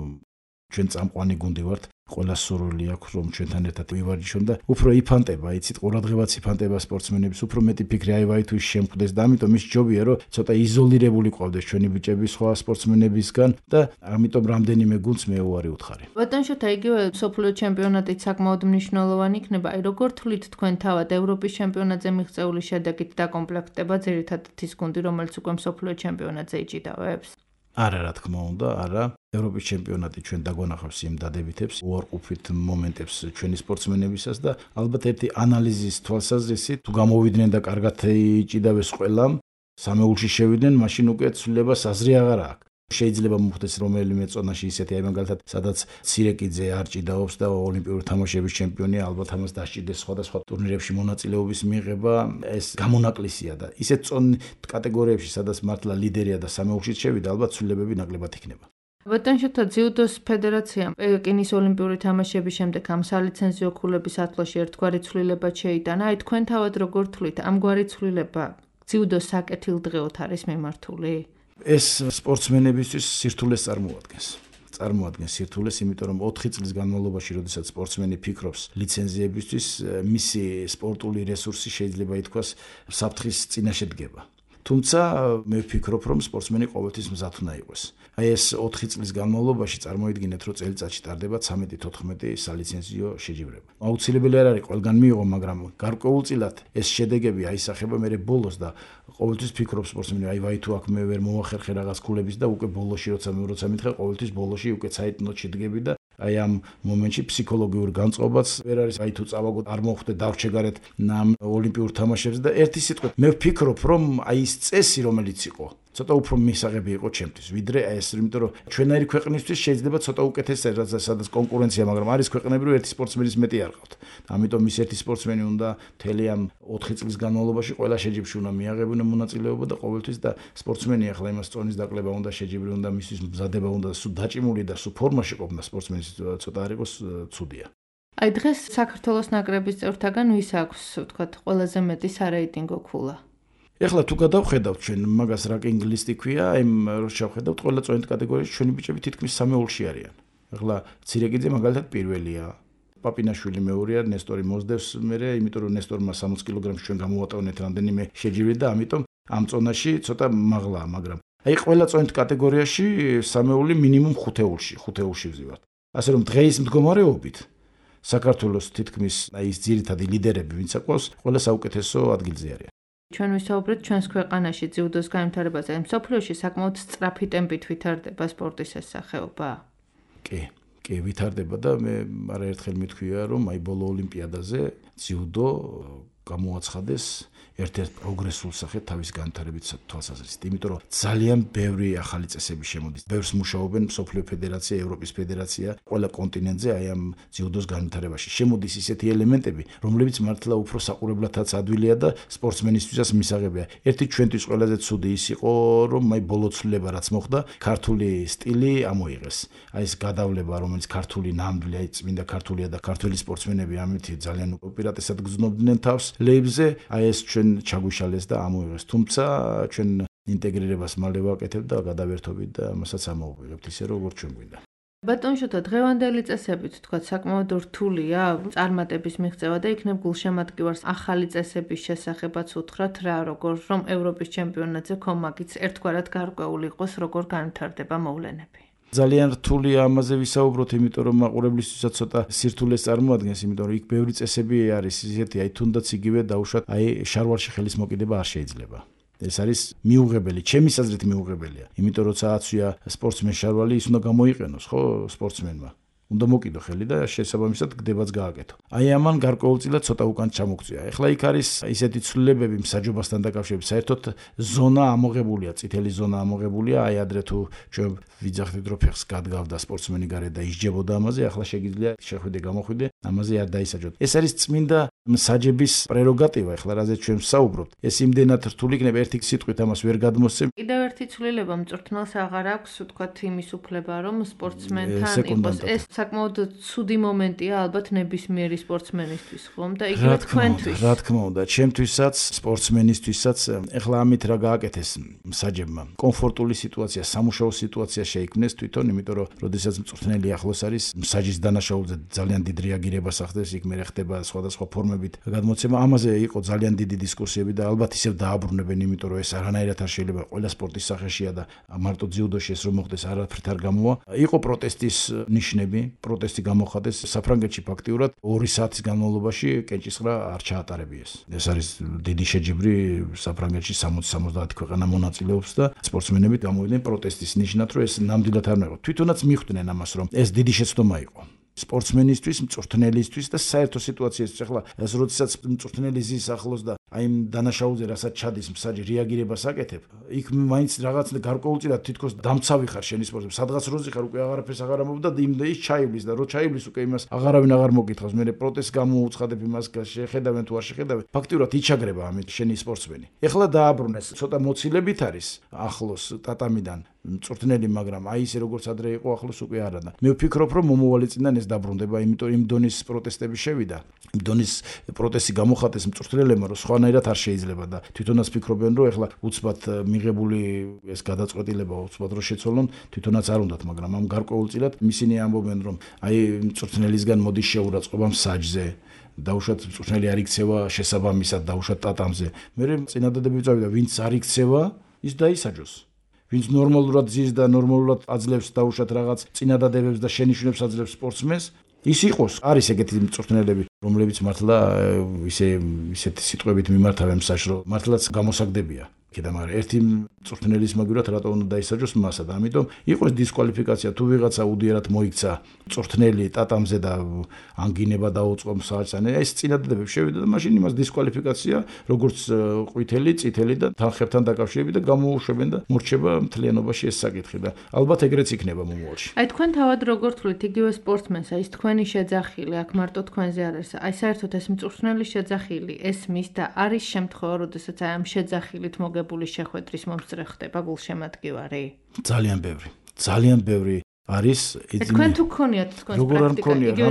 ჩვენ წამყვანი გუნდი ვართ. ყველა სურვილი აქვს რომ ჩვენთან ერთად ვივარჯიშონ და უფრო იფანტება, იცით, ყურადღებაც იფანტება სპორტსმენების, უფრო მეტი ფიქრი აივაი თუ შემკვდეს და ამიტომ ის ჯობია რომ ცოტა იზოლირებული ყავდეს ჩვენი ბიჭები სხვა სპორტსმენებისგან და ამიტომ რამდენიმე გუნდს მე უარი ვუთხარი. ბატონ შოთა, იგივე მსოფლიო ჩემპიონატიც საკმაოდ მნიშვნელოვანი იქნება. აი როგორ თვლით თქვენ თავად ევროპის ჩემპიონატზე მიღწეული შედეგით დაკომპლექტდება ძირითადად ის გუნდი, რომელიც უკვე მსოფლიო ჩემპიონატზე იჭიდავებს? არა, რა თქმა უნდა, არა. ევროპის ჩემპიონატი ჩვენ დაგვანახავს იმ დადებითებს, უარყოფით მომენტებს ჩვენი სპორტსმენებისას და ალბათ ერთი ანალიზის თვალსაზრისით, თუ გამოვიდნენ და კარგად იჭიდავეს ყველამ, სამეულში შევიდნენ, მაშინ უკვე ცვლილებას აზრი აღარ აქვს. შეიძლება მოხდეს რომელიმე წონაში ისეთი, აი მაგალითად, სადაც ცირეკიძე არ ჭიდაობს და ოლიმპიური თამაშების ჩემპიონია, ალბათ ამას დასჭირდეს სხვადასხვა ტურნირებში მონაწილეობის მიღება, ეს გამონაკლისია და ისეთ წონ კატეგორიებში, სადაც მართლა ლიდერია და სამეულშიც შევიდა, ალბათ ცვლილებები ნაკლებად იქნება. ბატონ შოთა, ძიუდოს ფედერაციამ პეკინის ოლიმპიური თამაშების შემდეგ ამ სალიცენზიო ქულების ათვლაში ერთგვარი ცვლილება შეიტანა. აი თქვენ თავად როგორ თვლით, ამგვარი ცვლილება ძიუდოს საკეთილდღეოდ არის მიმართული? ეს სპორტსმენებისთვის სირთულეს წარმოადგენს სირთულეს, იმიტომ რომ 4 წლის განმავლობაში, როდესაც სპორტსმენი ფიქრობს ლიცენზიებისთვის, მისი სპორტული რესურსი შეიძლება ითქვას საფრთხის წინაშე დგება. თუმცა მე ვფიქრობ, რომ სპორტსმენი ყოველთვის მზად უნდა იყოს. აი ეს 4 წლის განმავლობაში წარმოიდგინეთ, რომ წელიწადში ტარდება 13-14 სალიცენზიო შეჯიბრება. აუცილებელი არ არის ყველგან მიიღო, მაგრამ გარკვეულწილად ეს შედეგები აისახება მე ბოლოს და ყოველთვის ფიქრობ სპორტსმენი, აი ვაი თუ აქ მე ვერ მოვახერხე რაღაც ქულების და უკვე ბოლოში როცა მითხე, ყოველთვის ბოლოში უკვე საერთოდ შედგები და აი ამ მომენტში ფსიქოლოგიურ განწყობაც ვერ არის, აი თუ წავაგოთ არ მოხვდე დავრჩეგარეთ ამ ოლიმპიურ თამაშებზე და ერთი სიტყვით მე ვფიქრობ, რომ აი ეს წესი რომელიც იყო ცოტა უფრო მისაღები იყო ჩემთვის, ვიდრე ეს, იმიტომ რომ ჩვენაირი ქვეყნისთვის შეიძლება ცოტა უკეთესად, სადაც კონკურენცია, მაგრამ არის ქვეყნები, რომ ერთი სპორტსმენის მეტი არ ყავთ. ამიტომ ის ერთი სპორტსმენი უნდა მთელი ამ 4 წლის განმავლობაში ყველა შეჯიბრში უნდა მიაღებინა მონაწილეობა და ყოველთვის და სპორტსმენი ახლა იმას წონის დაკლება უნდა, შეჯიბრი უნდა, მისთვის მზადება უნდა, სულ დაჭიმული და სულ ფორმაში ყოფნა სპორტსმენის ცოტა არ იყოს ცუდია. აი დღეს საქართველოს ნაკრების წევრთაგან ვის აქვს, ვთქვათ, ყველაზე მეტი სარეიტინგო ქულა? ეხლა თუ გადავხედავთ ჩვენ მაგას რაკინგ ლისტი ქვია, აი რო შევხედავთ ყველა წონით კატეგორიაში ჩვენი ბიჭები თითქმის 3-ოლში არიან. ეხლა ცირეკიძე მაგალითად პირველია. პაპინაშვილი მეორეა, ნესტორი მოსდევს მერე, იმიტომ რომ ნესტორმა 60 კილოგრამში ჩვენ გამოვატავნეთ რამდენიმე შეჯიბრი და ამიტომ ამ წონაში ცოტა მაღლაა, მაგრამ აი ყველა წონით კატეგორიაში 3-ოლი მინიმუმ 5-ოლში ვზივართ. ასე რომ დღეის მდგომარეობით საქართველოს თითქმის აი ეს ძირითადი ლიდერები ვინც აყვავს, ყველა საუკეთესო ადგილზე არიან. ჩვენ ვისაუბრეთ ჩვენს ქვეყანაში ძიუდოს განვითარებაზე, მსოფლიოში საკმაოდ სწრაფი ტემპით ვითარდება სპორტის ეს სახეობა? კი, ვითარდება და მე არაერთხელ მithქვია, რომ აი ბოლო ოლიმპიადაზე ძიუდო გამოაცხადეს ერთ-ერთ პროგრესულ სახედ თავის განვითარებით თვალსაზრისით, იმიტომ რომ ძალიან ბევრი ახალი წესები შემოდის. ბევრს მუშაობენ მსოფლიო ფედერაცია, ევროპის ფედერაცია, ყველა კონტინენტზე აი ამ ძიუდოს განვითარებაში. შემოდის ისეთი ელემენტები, რომლებიც მართლა უფრო საყურებლათაც ადვილია და სპორტსმენისთვისაც მისაღებია. ერთი ჩვენთვის ყველაზე ცუდი ის იყო, რომ აი ბოლო ცვლილება რაც მოხდა, ქართული სტილი ამოიღეს. აი ეს გადავლება, რომელიც ქართული ნამდვილი, აი წმინდა ქართულია და ქართველი სპორტსმენები ამით ძალიან უპირატესად გრძნობდნენ თავს ლეიბზე, აი ეს ჩვენ ჩაგვიშალეს და ამოიღეს. თუმცა ჩვენ ინტეგრირებას მალე ვაკეთებთ და გადავერთობით და ამასაც ამოვიღებთ ისე როგორც ჩვენ გვინდა. ბატონ შოთა, დღევანდელი წესებით თქვათ საკმაოდ რთულია წარმატების მიღწევა და იქნებ გულშემატკივარს ახალი წესების შესახებაც უთხრათ რა, როგორ რომ ევროპის ჩემპიონატზე ქომაგიც ერთგვარად გარკვეული იყოს, როგორ განვითარდება მოვლენები. ძალიან რთულია ამაზე ვისაუბროთ, იმიტომ რომ მაყურებლისთვისაც ცოტა სირთულეს წარმოადგენს, იმიტომ რომ იქ ბევრი წესები არის ისეთი, აი თუნდაც იგივე დაუშვათ, აი შარვალში ხელის მოკიდება არ შეიძლება. ეს არის მიუღებელი, ჩემის აზრით მიუღებელია. იმიტომ რომ სააცვია სპორტსმენ შარვალი ის უნდა გამოიყენოს, ხო, სპორტსმენმა. უნდა მოკიდო ხელი და შესაბამისად გდებაც გააკეთო. აი ამან გარკვეულწილად ცოტა უკან ჩამოგწია. ეხლა იქ არის ისეთი ცვლილებები მსაჯობასთან დაკავშირებით, საერთოდ ზონა ამოღებულია, წითელი ზონა ამოღებულია, აი ადრე თუ ჩვენ ვიძახდით რომ ფეხს გადგავდა სპორტსმენი გარეთ და ისჯებოდა ამაზე, ახლა შეგიძლია შეხვიდე გამოხვიდე, ამაზე არ დაისაჯოთ. ეს არის წმინდა მსაჯების პრეროგატივა, ეხლა რაზეც ჩვენ ვსაუბრობთ. ეს იმდენად რთული იქნება, ერთი სიტყვით ამას ვერ გადმოსცემ. კიდევ ერთი ცვლილება მწვრთნელს აღარ აქვს, ვთქვათ, იმის უფლება, რომ სპორტსმენთან იყოს. ეს საკმაოდ ცუდი მომენტია ალბათ ნებისმიერი სპორტსმენისთვის, ხომ? და იგივე თქვენთვის. რა თქმა უნდა, ჩემთვისაც, სპორტსმენისთვისაც, ეხლა ამით რა გააკეთეს მსაჯებმა. კომფორტული სიტუაცია, სამუშაო სიტუაცია შეიქმნეს თვითონ, იმიტომ რომ როდესაც მწვრთნელი ახლოს არის, მსაჯის დანაშაულზე ძალიან დიდ რეაგირებას ახდენს, იქ მე ხდება სხვადასხვა ფორმებით გადმოცემა. ამაზე იყო ძალიან დიდი დისკუსიები და ალბათ ისევ დააბრუნებენ, იმიტომ რომ ეს არანაირად არ შეიძლება ყველა სპორტის სახეშია და მარტო ძიუდოში ეს რომ მოხდეს არაფრით არ გამოვა. იყო პროტესტის ნიშნები, პროტესტი გამოხატეს საფრანგეთში ფაქტიურად 2 საათის განმავლობაში კენჭისყრა არ ჩაატარებიეს. ეს არის დიდი შეჯიბრი საფრანგეთში 60-70 ქვეყანა მონაწილეობს და სპორტსმენები გამოვიდნენ პროტესტის ნიშნად, რომ ეს ნამდვილად არ მოიყო. თვითონაც მიხვდნენ ამას, რომ ეს დიდი შეცდომა იყო. სპორტსმენისთვის, მწვრთნელისთვის და საერთო სიტუაციისთვის. ახლა ეს როდესაც მწვრთნელი ზის ახლოს და აი იმ დანაშაულზე რასაც ჩადის მსაჯი რეაგირებას აკეთებ, იქ მაინც რაღაც გარკვეულწილად თითქოს დამცავი ხარ შენი სპორტზე. სადღაც როზე ხარ უკვე აღარაფერს აღარ ამბობ და იმდა ის ჩაივლის და რო ჩაივლის უკვე იმას აღარავინ აღარ მოგითხავს. მე პროტესტს გამოუცხადებ იმას, შეხედავენ თუ არ შეხედავენ. ფაქტიურად იჩაგრება ამით შენი სპორტსმენი. ეხლა დააბრუნეს, ცოტა მოცილებით არის ახლოს ტატამიდან. მწვრთნელი, მაგრამ აი ისე როგორც ადრე იყო ახლოს უკვე არა და მე ვფიქრობ რომ მომავალი წინდან ეს დაბრუნდება, იმიტომ იმ დონის პროტესტები შევიდა. იმ დონის პროტესტი გამოხატეს მწვრთნელებმა, რომ სხვანაირად არ შეიძლება და თვითონაც ფიქრობენ რომ ეხლა უცბად მიღებული ეს გადაწყვეტილება უცბად რო შეცვალონ, თვითონაც არ უნდათ, მაგრამ ამ გარკვეულწილად ისინი ამბობენ რომ აი მწვრთნელისგან მოდის შეურაცხყოფა მსაჯზე. დაუშვათ მწვრთნელი არ იქცევა შესაბამისად, დაუშვათ ტატამზე. მე წინადადები ვწავიდა, ვინც არ იქცევა, ის დაისაჯოს. ვინც ნორმალურად ზის და ნორმალურად აძლევს დაუშვათ რაღაც წინადადებებს და შენიშვნებს აძლევს სპორტსმენს, ის იყოს. არის ეგეთი მწვრთნელები, რომლებიც მართლა ისეთი სიტყვებით მიმართავენ მსაჯს, რომ მართლაც გამოსაგდებია. კიდე მაგრამ ერთი მწვრთნელის მაგივრად რატო უნდა დაისაჯოს მასა და ამიტომ იყოს დისკვალიფიკაცია თუ ვიღაცა უდიერად მოიქცა მწვრთნელი ტატამზე და ანგინება დაუწყო მსაჯს, ან ეს წინადადებები შევიდა და მაშინ იმას დისკვალიფიკაცია როგორც ყვითელი, წითელი და თანხებთან დაკავშირებით და გამოუშვებენ და მორჩება მთლიანობაში ეს საკითხი და ალბათ ეგრეც იქნება მომავალში. აი თქვენ თავად როგორ თვლით იგივე სპორტსმენს, აი ეს თქვენი შეძახილი, აქ მარტო თქვენზე არ არის, აი საერთოდ ეს მწვრთნელის შეძახილი ესმის და არის შემთხვევა, როდესაც აი ამ შეძახილით მოგებული შეხვედრის მომსწრე ხდება გულშემატკივარი? ძალიან ბევრი არის თქვენ თუ გქონიათ თქვენს პრაქტიკა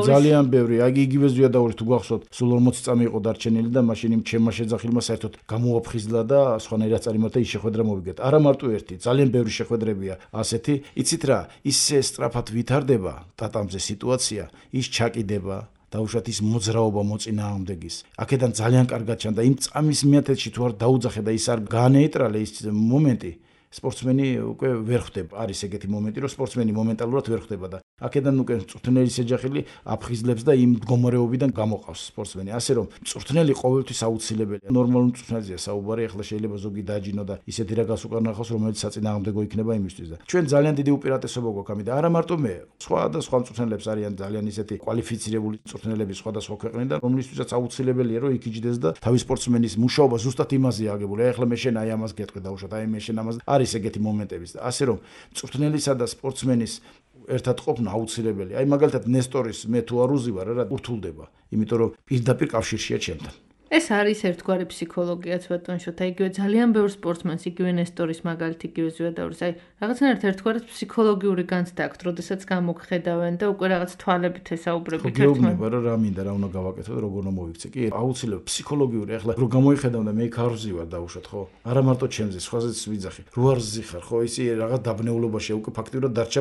ძალიან ბევრი, აი იგივე ზვიადაური თუ გახსოვთ, სულ 40 წამი იყო დარჩენილი და მაშინ იმ ჩემმა შეძახილმა საერთოდ გამოაფხიზლა და სხვანაირად წარიმართა ის შეხვედრა მოვიგეთ. არა მარტო ერთი, ძალიან ბევრი შეხვედრებია ასეთი. იცით რა, ისე სწრაფად ვითარდება ტატამზე სიტუაცია, ის ჩაკიდება დაუშვათ ის მოძრაობა მოწინააღმდეგის. აქედან ძალიან კარგად ჩანდა იმ წამის მიათეთში თუ არ დაუძახე და ის არ გაანეიტრალე ის მომენტი, სპორტსმენი უკვე ვერ ხვდება. არის ეგეთი მომენტი, რომ სპორტსმენი მომენტალურად ვერ ხვდება და აქედან უკვე მწვრთნელის შეჯახილი აფხიზლებს და იმ მდგომარეობიდან გამოყავს სპორტსმენი. ასე რომ მწვრთნელი ყოველთვის აუცილებელია. ნორმალურ მწვრთნელზეა საუბარი, ახლა შეიძლება ზოგი დააჯინო და ისეთი რაგას უკან ნახოს, რომელიც საწინააღმდეგო იქნება იმისთვის და ჩვენ ძალიან დიდი უპირატესობა გვაქვს ამით და არა მარტო მე, სხვა მწვრთნელებს არიან ძალიან ისეთი კვალიფიცირებული მწვრთნელები სხვადასხვა ქვეყნიდან, რომლისთვისაც აუცილებელია რომ იქ იჯდეს და თავის სპორტსმენის მუშაობა ზუსტად იმაზეა აგებული. აი ახლა მე შენ აი ამას გეტყვი დაუშვათ, აი მე შენ ამას არის ეგეთი მომენტებიც და ასე რომ მწვრთნელისა და სპორტსმენის ერთად ყოფნა აუცილებელია. აი მაგალითად ნესტორის მე თუ არ უზივარ რა ურთულდება, იმიტომ რომ პირდაპირ კავშირშია ჩემთან. ეს არის ერთგვარი ფსიქოლოგიაც ბატონშოთ, აი იგივე ძალიან ბევრ სპორტსმენს, იგივე ნესტორის მაგალითი, იგივე ზვიადაურის, აი რაღაცნაირად ერთგვარად ფსიქოლოგიური განცდა აქვთ, როდესაც გამოგხედავენ და უკვე რაღაც თვალებით ესაუბრებით ერთმანეთს. გეუბნება რა მინდა, რა უნდა გავაკეთო და როგორ უნდა მოვიქცე. კი, აუცილებლად ფსიქოლოგიური, ახლა რო გამოიხედავ და მე იქ არ ვზივარ დაუშვათ, ხო? არა მარტო ჩემზე, სხვაზეც ვიძახი. რო არ ვზიხარ, ხო, ისი რაღაც დაბნეულობაშია, უკვე ფაქტიურად დარჩა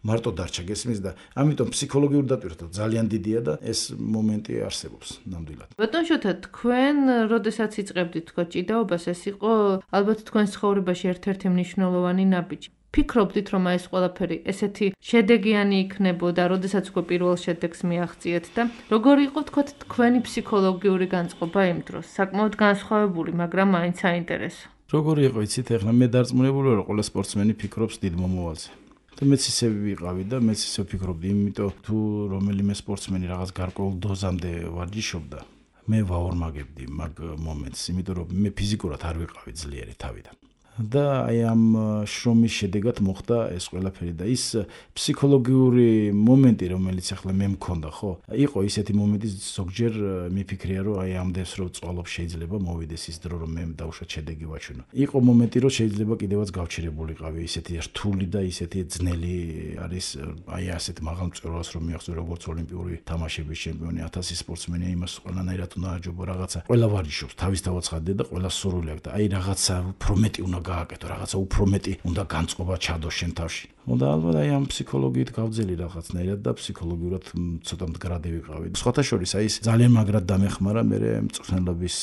მარტო დარჩა გესმის და ამიტომ ფსიქოლოგიური დატვირთვა ძალიან დიდია და ეს მომენტი არსებობს ნამდვილად. ბატონშოთა თქვენ როდესაც იწყებდით თქო ჭიდაობას, ეს იყო ალბათ თქვენს ცხოვრებაში ერთ-ერთი მნიშვნელოვანი ნაბიჯი. ფიქრობდით რომ ეს ყველაფერი ესეთი შედეგიანი იქნებოდა, როდესაც უკვე პირველ შედეგს მიაღწიეთ და როგორი იყო თქო თქვენი ფსიქოლოგიური განწყობა იმ დროს? საკმაოდ განსხვავებული, მაგრამ მაინც საინტერესო. როგორი იყო, იცით, ახლა მე დარწმუნებული ვარ, ყველა სპორტსმენი ფიქრობს დიდ მომავალზე. და მეც ისე ვიყავი და მეც ისე ვფიქრობდი, იმიტომ თუ რომელიმე სპორტსმენი რაღაც გარკვეულ დოზამდე ვარჯიშობდა, მე ვაორმაგებდი მაგ მომენტს, იმიტომ რომ მე ფიზიკურად არ ვიყავი ძლიერი თავიდან. და აი ამ შრომის შედეგად მოხდა ეს ყველაფერი და ის ფსიქოლოგიური მომენტი, რომელიც ახლა მე მქონდა, ხო? იყო ისეთი მომენტი, ზოგჯერ მიფიქრია, რომ აი ამდენს რომ წვალობ შეიძლება მოვიდეს ის დრო, რომ მე დავუშვათ შედეგი ვაჩვენო. იყო მომენტი, რომ შეიძლება კიდევაც გავჩერებულიყავი, ისეთი რთული და ისეთი ძნელი არის, აი ასეთ მაღალ მწვერვალს რომ მიაღწევ, როგორც ოლიმპიური თამაშების ჩემპიონი, 1000 სპორტსმენი, იმას ყველანაირად უნდა აჯობო რაღაცა. ყველა ვარჯიშობს, თავისთავად ხადდა და ყველა სურვილი აქვს და აი რაღაცა უფრო მეტი უნდა გააკეთო, რაღაცა უფრო მეტი უნდა განწყობა ჩადო შენ თავში. და ალბათ აი ამ ფსიქოლოგიით გავძელი რაღაცნაირად და ფსიქოლოგიურად ცოტა მდგრადი ვიყავი. სხვათა შორის აი ეს ძალიან მაგრად დამეხმარა მე მწვრთნელობის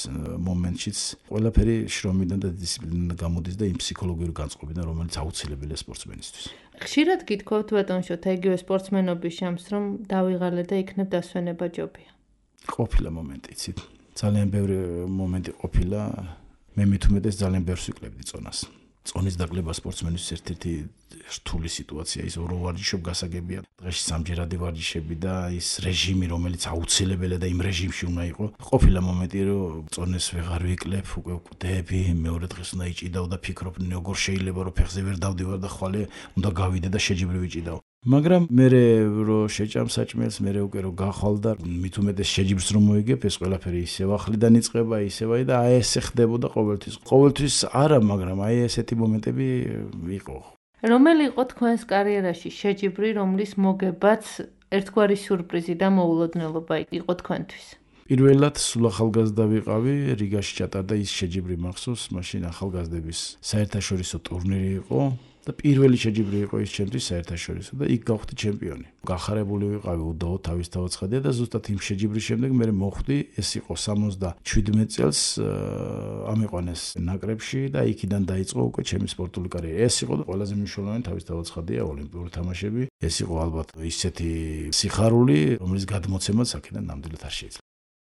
მომენტშიც ყველაფერი შრომიდან და დისციპლინიდან გამოდის და იმ ფსიქოლოგიური განწყობიდან, რომელიც აუცილებელია სპორტსმენისთვის. ხშირად გითხოვთ ბატონშოთ, იგივე სპორტსმენობის შამს, რომ დავიღალე და იქნებ დასვენება ჯობია. ყოფილა მომენტი, იცით. ძალიან ბევრი მომენტი ყოფილა. მე მithumetes ძალიან ბევრს ვიკლებდი წონას. წონის დაკლება სპორტსმენის ერთ-ერთი რთული სიტუაცია, ის ორი ვარჯიშობ გასაგებია. დღეში სამჯერადი ვარჯიშები და ის რეჟიმი, რომელიც აუცილებელია და იმ რეჟიმში უნდა იყო. ყოფილა მომენტი, რომ წონეს ვეღარ ვიკლებ, უკვე ვკვდები, მეორე დღეს უნდა იჭიდაო და ფიქრობ, როგორ შეიძლება რომ ფეხზე ვერ დავდივარ და ხვალე უნდა გავიდე და შეჯიბრი ვიჭიდაო. მაგრამ მე რო შეჭამ საჭმელს, მე უკვე რო გახვალ და მით უმეტეს შეჯიბრს რომ მოიგებ, ეს ყველაფერი ისევ ახლიდან იწყება, ისევ და აი ესე ხდებოდა ყოველთვის. ყოველთვის არა, მაგრამ აი ესეთი მომენტები იყო. რომელი იყო თქვენს კარიერაში შეჯიბრი, რომლის მოგებაც ერთგვარი სიურპრიზი და მოულოდნელობა იყო თქვენთვის? პირველად სულ ახალგაზრდა ვიყავი, რიგაში ჩატარდა ის შეჯიბრი მახსოვს, მაშინ ახალგაზრდების საერთაშორისო ტურნირი იყო. და პირველი შეჯიბრი იყო ის ჩემთვის საერთაშორისო და იქ გავხდი ჩემპიონი. გახარებული ვიყავი უდაო თავისთავად ცხადია და ზუსტად იმ შეჯიბრის შემდეგ მე მოხვდი, ეს იყო 77 წელს ამიყვანეს ნაკრებში და იქიდან დაიწყო უკვე ჩემი სპორტული კარიერა. ეს იყო ყველაზე მნიშვნელოვანი თავისთავად ცხადია ოლიმპიური თამაშები. ეს იყო ალბათ ისეთი სიხარული, რომლის გადმოცემაც აქედან ნამდვილად არ შეიძლება.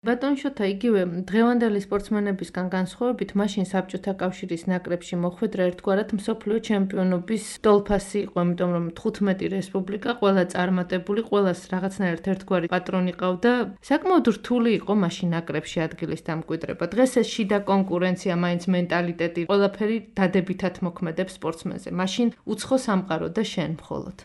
ბატონ შოთა, იგივე დღევანდელი სპორტსმენებისგან განსხვავებით, მაშინ საბჭოთა კავშირის ნაკრებში მოხვედრა ერთგვარად მსოფლიო ჩემპიონობის ტოლფასი იყო, იმიტომ რომ 15 რესპუბლიკა, ყველა წარმატებული, ყველას რაღაცნაირად ერთგვარი პატრონი ყავდა. საკმაოდ რთული იყო მაშინ ნაკრებში ადგილის დამკვიდრება. დღეს ეს შიდა კონკურენცია, მაინც მენტალიტეტი, ყველაფერი დადებითად მოქმედებს სპორტსმენზე. მაშინ უცხო სამყარო და შენ მხოლოდ.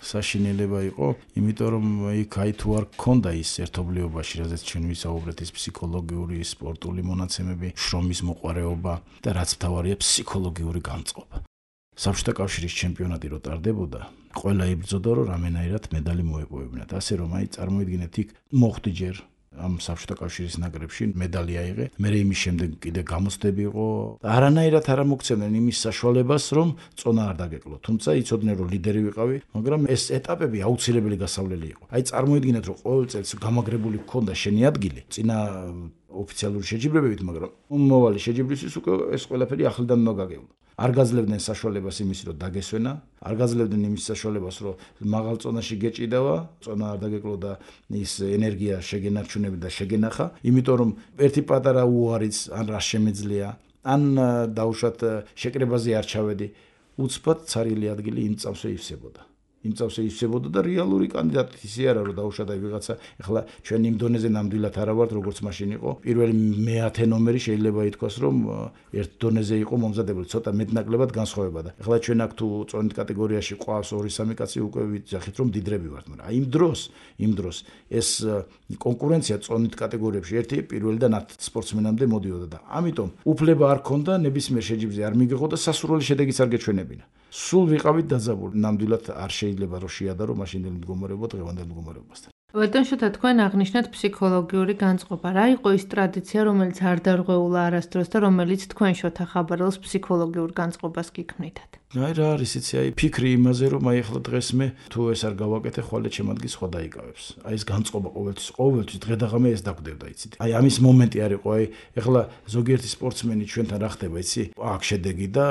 საშინელება იყო, იმიტომ რომ იქ აი თუ არ გქონდა ის ერთობლიობაში, რაზეც ჩვენ ვისაუბრეთ, ის ფსიქოლოგიური, სპორტული მონაცემები, შრომის მოყვარეობა და რაც მთავარია ფსიქოლოგიური განწყობა. საბჭოთა კავშირის ჩემპიონატი რო ტარდებოდა, ყველა იბრძოდა რომ რამენაირად медаლი მოეპოვებინათ. ასე რომ აი წარმოიდგინეთ, იქ მოხვდი ჯერ ამ საბჭოთა კავშირის ნაკრებში медаლი აიღე. მე იმის შემდეგ კიდე გამოცდები იყო. არანაირად არ მოგცემდნენ იმის საშუალებას, რომ წონა არ დაგეკლო. თუმცა იცოდნენ რომ ლიდერი ვიყავი, მაგრამ ეს ეტაპები აუცილებელი გასავლელი იყო. აი წარმოიდგინეთ რომ ყოველ წელს გამაგრებული გქონდა შენი ადგილი წინა ოფიციალური შეჯიბრებებით, მაგრამ მომავალი შეჯიბრისთვის უკვე ეს ყველაფერი ახლიდან უნდა გაგევლო. არ გაძლევდნენ საშუალებას იმის რომ დაგესვენა, არ გაძლევდნენ იმის საშუალებას რომ მაღალ წონაში გეჭიდავა, წონა არ დაგეკლო და ის ენერგია შეგენარჩუნები და შეგენახა, იმიტომ რომ ერთი პატარა უარიც ან რა შემეძლია, ან დაუშვათ შეკრებაზე არ ჩავედი, უცბად ცარილი ადგილი იმ წავსე ივსებოდა. იმ წავსე ივსებოდა და რეალური კანდიდატი ისე არა რომ დაუშვათ აი ვიღაცა, ეხლა ჩვენ იმ დონეზე ნამდვილად არა ვართ როგორც მაშინ იყო. პირველი მე-10 ნომერი შეიძლება ითქვას რომ ერთ დონეზე იყო მომზადებული, ცოტა მეტნაკლებად განსხვავება და ეხლა ჩვენ აქ თუ წონით კატეგორიაში ყავს 2-3 კაცი უკვე ვიძახით რომ დიდრები ვართ, მაგრამ აი იმ დროს ეს კონკურენცია წონით კატეგორიებში ერთი პირველიდან 10 სპორტსმენამდე მოდიოდა და ამიტომ უფლება არ ქონდა ნებისმიერ შეჯიბრზე არ მიგიღო და სასურველი შედეგიც არ გეჩვენებინა. სულ ვიყავით დაძაბული, ნამდვილად არ შეიძლება რომ შეადარო მაშინდელი მდგომარეობა დღევანდელ მდგომარეობასთან. ბატონ შოთა, თქვენ აღნიშნეთ ფსიქოლოგიური განწყობა. რა იყო ის ტრადიცია, რომელიც არ დარღვეულა არასდროს და რომელიც თქვენ შოთა ხაბარელს ფსიქოლოგიურ განწყობას გიქმნითათ? აი რა არის იცი, აი ფიქრი იმაზე რომ აი ახლა დღეს მე თუ ეს არ გავაკეთე, ხვალე ჩემ ადგილს სხვა დაიკავებს. აი ეს განწყობა ყოველთვის დღე-დაღამე ეს დაგვდებდა, იცით. აი ამის მომენტი არ იყო, აი ახლა ზოგიერთი სპორტსმენი ჩვენთან რა ხდება, იცი? აქ შედეგი და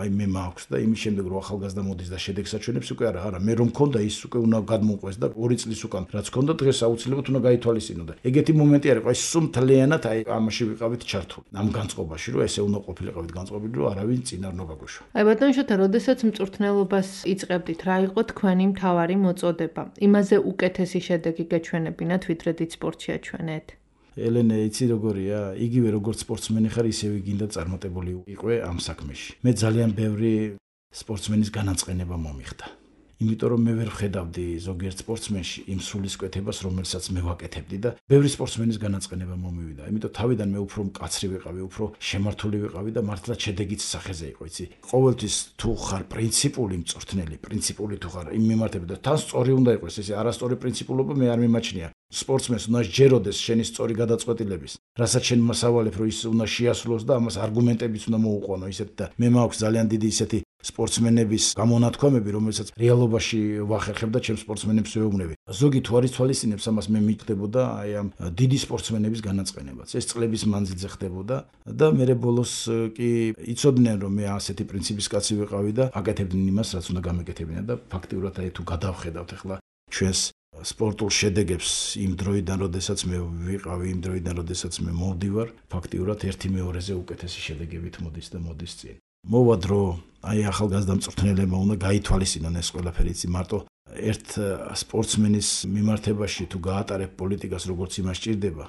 აი მე მაქვს და იმის შემდეგ რომ ახალგაზრდა მოდის და შედეგს აჩვენებს, უკვე არა, მე რომ მქონდა ის უკვე უნდა გადმოყვეს და 2 წლის უკან რაც და დღეს აუცილებლად უნდა გაითვალისწინო და ეგეთი მომენტი არის, აი სუმთლიანად აი ამაში ვიყავით ჩართული. ამ განწყობაში რომ ესე უნდა ყოფილიყავით განწყობილი რომ არავინ წინ არ უნდა გაგვეშვა. აი ბატონ შოთა, როდესაც მწვრთნელობას იწყებდით, რა იყო თქვენი მთავარი მოწოდება? იმაზე უკეთესი შედეგი გეჩვენებინათ, ვიდრე დიდ სპორტში აჩვენეთ? ელენე, იცი როგორია? იგივე როგორც სპორტსმენი ხარ, ისევე გინდა წარმატებული იყვე ამ საქმეში. მე ძალიან ბევრი სპორტსმენის განაწყენება მომიხდა. იმიტომ რომ მე ვერ ვხედავდი ზოგიერთ სპორტსმენში იმ სულისკვეთებას, რომელსაც მე ვაკეთებდი და ბევრი სპორტსმენის განაწყენება მომივიდა. იმიტომ თავიდან მე უფრო მკაცრი ვიყავი, უფრო შემართული ვიყავი და მართლა შედეგიც სახეზე იყო, იცი. ყოველთვის თუ ხარ პრინციპული მწვრთნელი, პრინციპული თუ ხარ იმ მიმართებით და თან სწორი უნდა იყოს, ესე არასწორი პრინციპულობა მე არ მიმაჩნია. სპორტსმენს უნდა ჯეროდეს შენი სწორი გადაწყვეტილების, რასაც შენ მასავალებ, რომ ის უნდა შეასრულოს და ამას არგუმენტებიც უნდა მოუყვანო ისეთ და მე მაქვს ძალიან დიდი ისეთი სპორტსმენების გამონათქვამები, რომელსაც რეალობაში ვახერხებ და ჩემს სპორტსმენებს ვეუბნები. ზოგი თუ არ იცვალისწინებს ამას, მე მიგდებოდა აი ამ დიდი სპორტსმენების განაწყენებაც. ეს წლების მანძილზე ხდებოდა და მე ბოლოს კი იცოდნენ რომ მე ასეთი პრინციპის კაცი ვიყავი და აკეთებდნენ იმას, რაც უნდა გამეკეთებინა და ფაქტიურად აი თუ გადავხედავთ ახლა ჩვენს სპორტულ შედეგებს იმ დროიდან, როდესაც მე ვიყავი, იმ დროიდან, როდესაც მე მოვდივარ, ფაქტიურად 1/2-ზე უკეთესი შედეგებით მოდის და მოდის წინ. მოვა დრო, აი ახალგაზრდა მწვრთნელებმა უნდა გაითვალისწინონ ეს ყველაფერი, იცი მარტო ერთ სპორტსმენის მიმართებაში თუ გაატარებ პოლიტიკას როგორც იმას ჭირდება,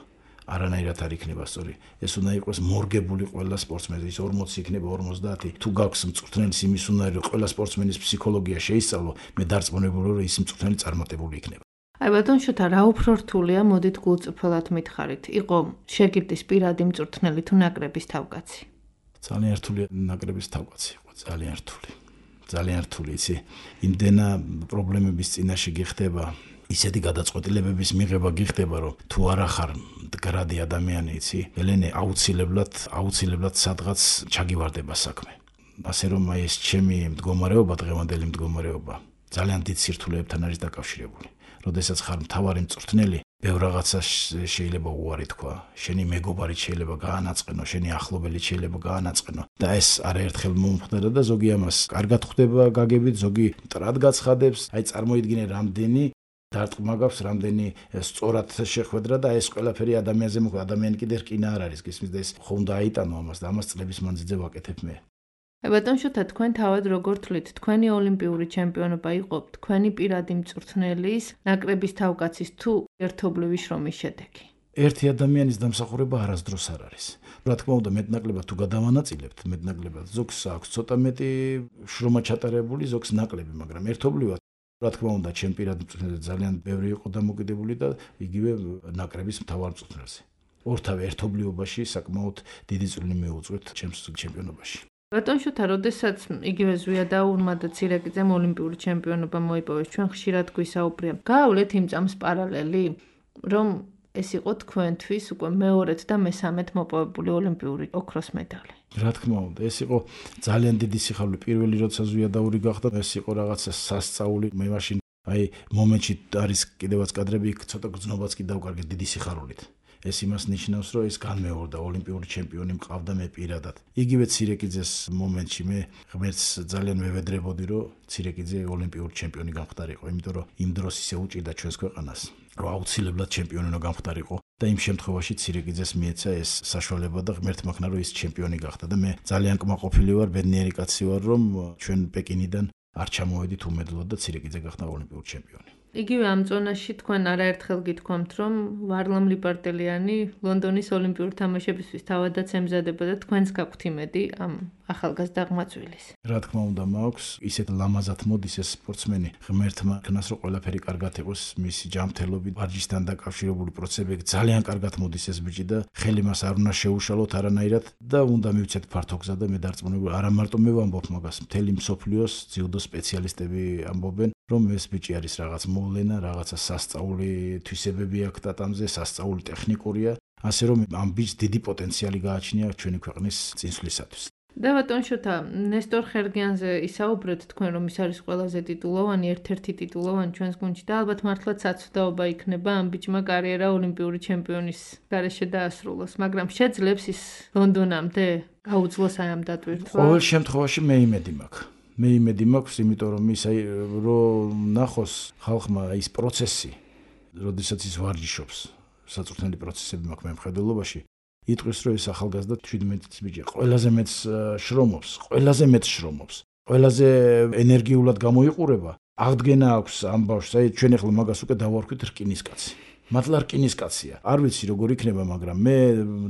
არანაირად არ იქნება სწორი. ეს უნდა იყოს მორგებული ყველა სპორტსმენი, ის 40 იქნება 50, თუ გაქვს მწვრთნელის იმის უნდა რომ ყველა სპორტსმენის ფსიქოლოგია შეისწავლო, მე დარწმუნებული რომ ის მწვრთნელი წარმატებული იქნება. აი ბატონ შოთა, რა უფრო რთულია, მოდით გულწრფელად მითხარით. იყო შეგირდის პირადი მწვრთნელი თუ ნაკრების თავკაცი? ძალიან რთულია ნაკრების თავკაცი იყო, ძალიან რთული. ძალიან რთული, იცი, იმდენა პრობლემების წინაშე გიხდება, ისეთი გადაწყვეტილებების მიღება გიხდება, რომ თუ არა ხარ მდგრადი ადამიანი, იცი, ელენე აუცილებლად სადღაც ჩაგივარდება საქმე. ასე რომ აი ეს ჩემი მდგომარეობა, დღევანდელი მდგომარეობა, ძალიან დიდ სირთულეებთან არის დაკავშირებული. როდესაც ხარ მთავარი მწვრთნელი, ბევრ რაღაცას შეიძლება უარი თქვა, შენი მეგობარი შეიძლება გაანაწყენო, შენი ახლობელი შეიძლება გაანაწყენო და ეს არაერთხელ მომხდარა და ზოგი ამას კარგად ხვდება გაგებით, ზოგი მტრად გაცხადებს, აი წარმოიდგინე რამდენი დარტყმა გაქვს, რამდენი სწორად შეხვედრა და ეს ყველაფერი ადამიანზე მოხდა, ადამიანი კიდე რკინა არ არის, გისმის და ეს ხომ დააიტანო ამას და ამას წლების მანძილზე ვაკეთებ მე. ბატონ შოთა, თქვენ თავად როგორ თვლით, თქვენი ოლიმპიური ჩემპიონობა იყო თქვენი პირადი მწვრთნელის, ნაკრების თავკაცის თუ ერთობლივი შრომის შედეგი? ერთი ადამიანის დამსახურება არასდროს არ არის. რა თქმა უნდა, მეტნაკლებად თუ გადავანაწილებთ, მეტნაკლებად ზოგს აქვს ცოტა მეტი შრომა ჩატარებული, ზოგს ნაკლები, მაგრამ ერთობლივად რა თქმა უნდა, ჩემ პირადი მწვრთნელზე ძალიან ბევრი იყო დამოკიდებული და იგივე ნაკრების მთავარ მწვრთნელზე. ორთავე ერთობლიობაში საკმაოდ დიდი წვლილი მიუძღვით ჩემს ჩემპიონობაში. ბატონ შოთა, როდესაც იგივე ზვიადაურმა და ცირეკიძემ ოლიმპიური ჩემპიონობა მოიპოვეს, ჩვენ ხშირად გვისაუბრია. გაავლეთ იმ წამს პარალელი, რომ ეს იყო თქვენთვის უკვე მეორედ და მესამედ მოპოვებული ოლიმპიური ოქროს медаლი. რა თქმა უნდა, ეს იყო ძალიან დიდი სიხარული. პირველი როცა ზვიადაური გახდა, ეს იყო რაღაცა სასწაული. მე მაშინ აი მომენტში არის კიდევაც კადრები, ცოტა გრძნობაც კი დავკარგე დიდი სიხარულით. ეს იმას ნიშნავს, რომ ეს განმეორდა, ოლიმპიური ჩემპიონი მყავდა მე პირადად. იგივე ცირეკიძეს მომენტში მე ღმერთს ძალიან მევედრებოდი, რომ ცირეკიძე ოლიმპიური ჩემპიონი გამხდარიყო, იმიტომ რომ იმ დროს ისე უჭირდა ჩვენს ქვეყანას, რომ აუცილებლად ჩემპიონი უნდა გამხდარიყო და იმ შემთხვევაში ცირეკიძეს მიეცა ეს საშუალება და ღმერთმა ხნა რომ ის ჩემპიონი გახდა და მე ძალიან კმაყოფილი ვარ, ბედნიერი კაცი ვარ, რომ ჩვენ პეკინიდან არ ჩამოვედით უმედლოდ და ცირეკიძე გახდა ოლიმპიური ჩემპიონი. იგივე ამ ზონაში თქვენ არაერთხელ გითქვამთ, რომ ვარლამ ლიპარტელიანი ლონდონის ოლიმპიურ თამაშებისთვის თავადაც ემზადება და თქვენს გაქვთ იმედი ამ ახალგაზრდა ღმაწვილის. რა თქმა უნდა, მაქვს ისეთ ლამაზად მოდის ეს სპორტსმენი, ღმერთმა ქნას რომ ყველაფერი კარგად იყოს, მისი ჯანმრთელობით, ვარჯიშთან დაკავშირებული პროცესები ძალიან კარგად მოდის ეს ბიჭი და ხელი მას არ უნდა შეუშალოთ არანაირად და უნდა მივცეთ ფართო გზა და მე დარწმუნებული, არა მარტო მე ვამბობ მაგას, მთელი მსოფლიოს ძიუდო სპეციალისტები ამბობენ, რომ ეს ბიჭი არის რაღაც მოვლენა, რაღაცა სასწაული თვისებები აქვს ტატამზე, სასწაული ტექნიკურია, ასე რომ ამ ბიჭს დიდი პოტენციალი გააჩნია ჩვენი ქვეყნის წინსვლისათვის. და ბატონ შოთა, ნესტორ ხერგიანზე ისაუბრეთ თქვენ, რომ ის არის ყველაზე ტიტულოვანი, ერთ-ერთი ტიტულოვანი ჩვენს გუნდში და ალბათ მართლაც საცდაობა იქნება ამ ბიჭმა კარიერა ოლიმპიური ჩემპიონის გარეშე დაასრულოს, მაგრამ შეძლებს ის ლონდონამდე გაუძლოს აი ამ დატვირთვა? ყოველ შემთხვევაში მე იმედი მაქვს. მე იმედი მაქვს, იმიტომ რომ ის აი რომ ნახოს ხალხმა ის პროცესი, როდესაც ის ვარჯიშობს, საწვრთნელი პროცესები მაქვს მე მხედველობაში. იტყვის რომ ეს ახალგაზრდა 17 წლის ბიჭია, ყველაზე მეტ შრომობს, ყველაზე ენერგიულად გამოიყურება. აღდგენა აქვს ამ ბავშვს, აი ჩვენ ახლა მაგას უკვე დავარქვით რკინის კაცი. მართლა რკინის კაცია. არ ვიცი როგორ იქნება, მაგრამ მე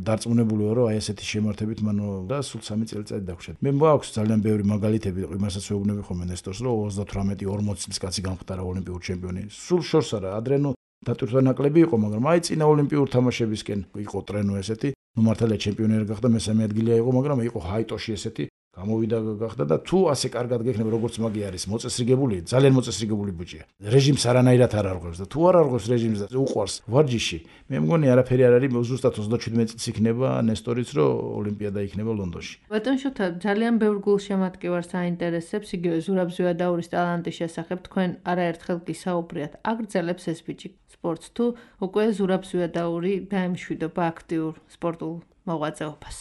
დარწმუნებული ვარ, რომ აი ესეთი შემართებით მან და სულ 3 წელიწადი დაგვშეთ. მე მაქვს ძალიან ბევრი მაგალითები, იმასაც ვეუბნები ხოლმე ნესტორს, რომ 38-40 წლის კაცი გამხდარა ოლიმპიური ჩემპიონი. სულ შორს არა, ადრენო დატვირთვა ნაკლები იყო, მაგრამ აი წინა ოლიმპიურ თამაშებისკენ იყო ტრენო ესეთი. ნუ მართალია ჩემპიონი არ გახდა, მესამე ადგილია იყო, მაგრამ იყო ჰაიტოში ესეთი გამოვიდა გახდა და თუ ასე კარგად გექნება როგორც მაგი არის მოწესრიგებული, ძალიან მოწესრიგებული ბიჭია. რეჟიმს არანაირად არ არღვევს და თუ არ არღვევს რეჟიმს და უყვარს ვარჯიში, მე მგონი არაფერი არ არის, ზუსტად 37 წლის იქნება ნესტორიც, რომ ოლიმპიადა იქნება ლონდონში. ბატონ შოთა, ძალიან ბევრ გულშემატკივარს აინტერესებს იგივე ზურაბ ზვიადაურის ტალანტის შესახებ თქვენ არაერთხელ გისაუბრიათ. აგრძელებს ეს ბიჭი სპორტს თუ უკვე ზურაბ ზვიადაური დაემშვიდობა აქტიურ სპორტულ მოღვაწეობას?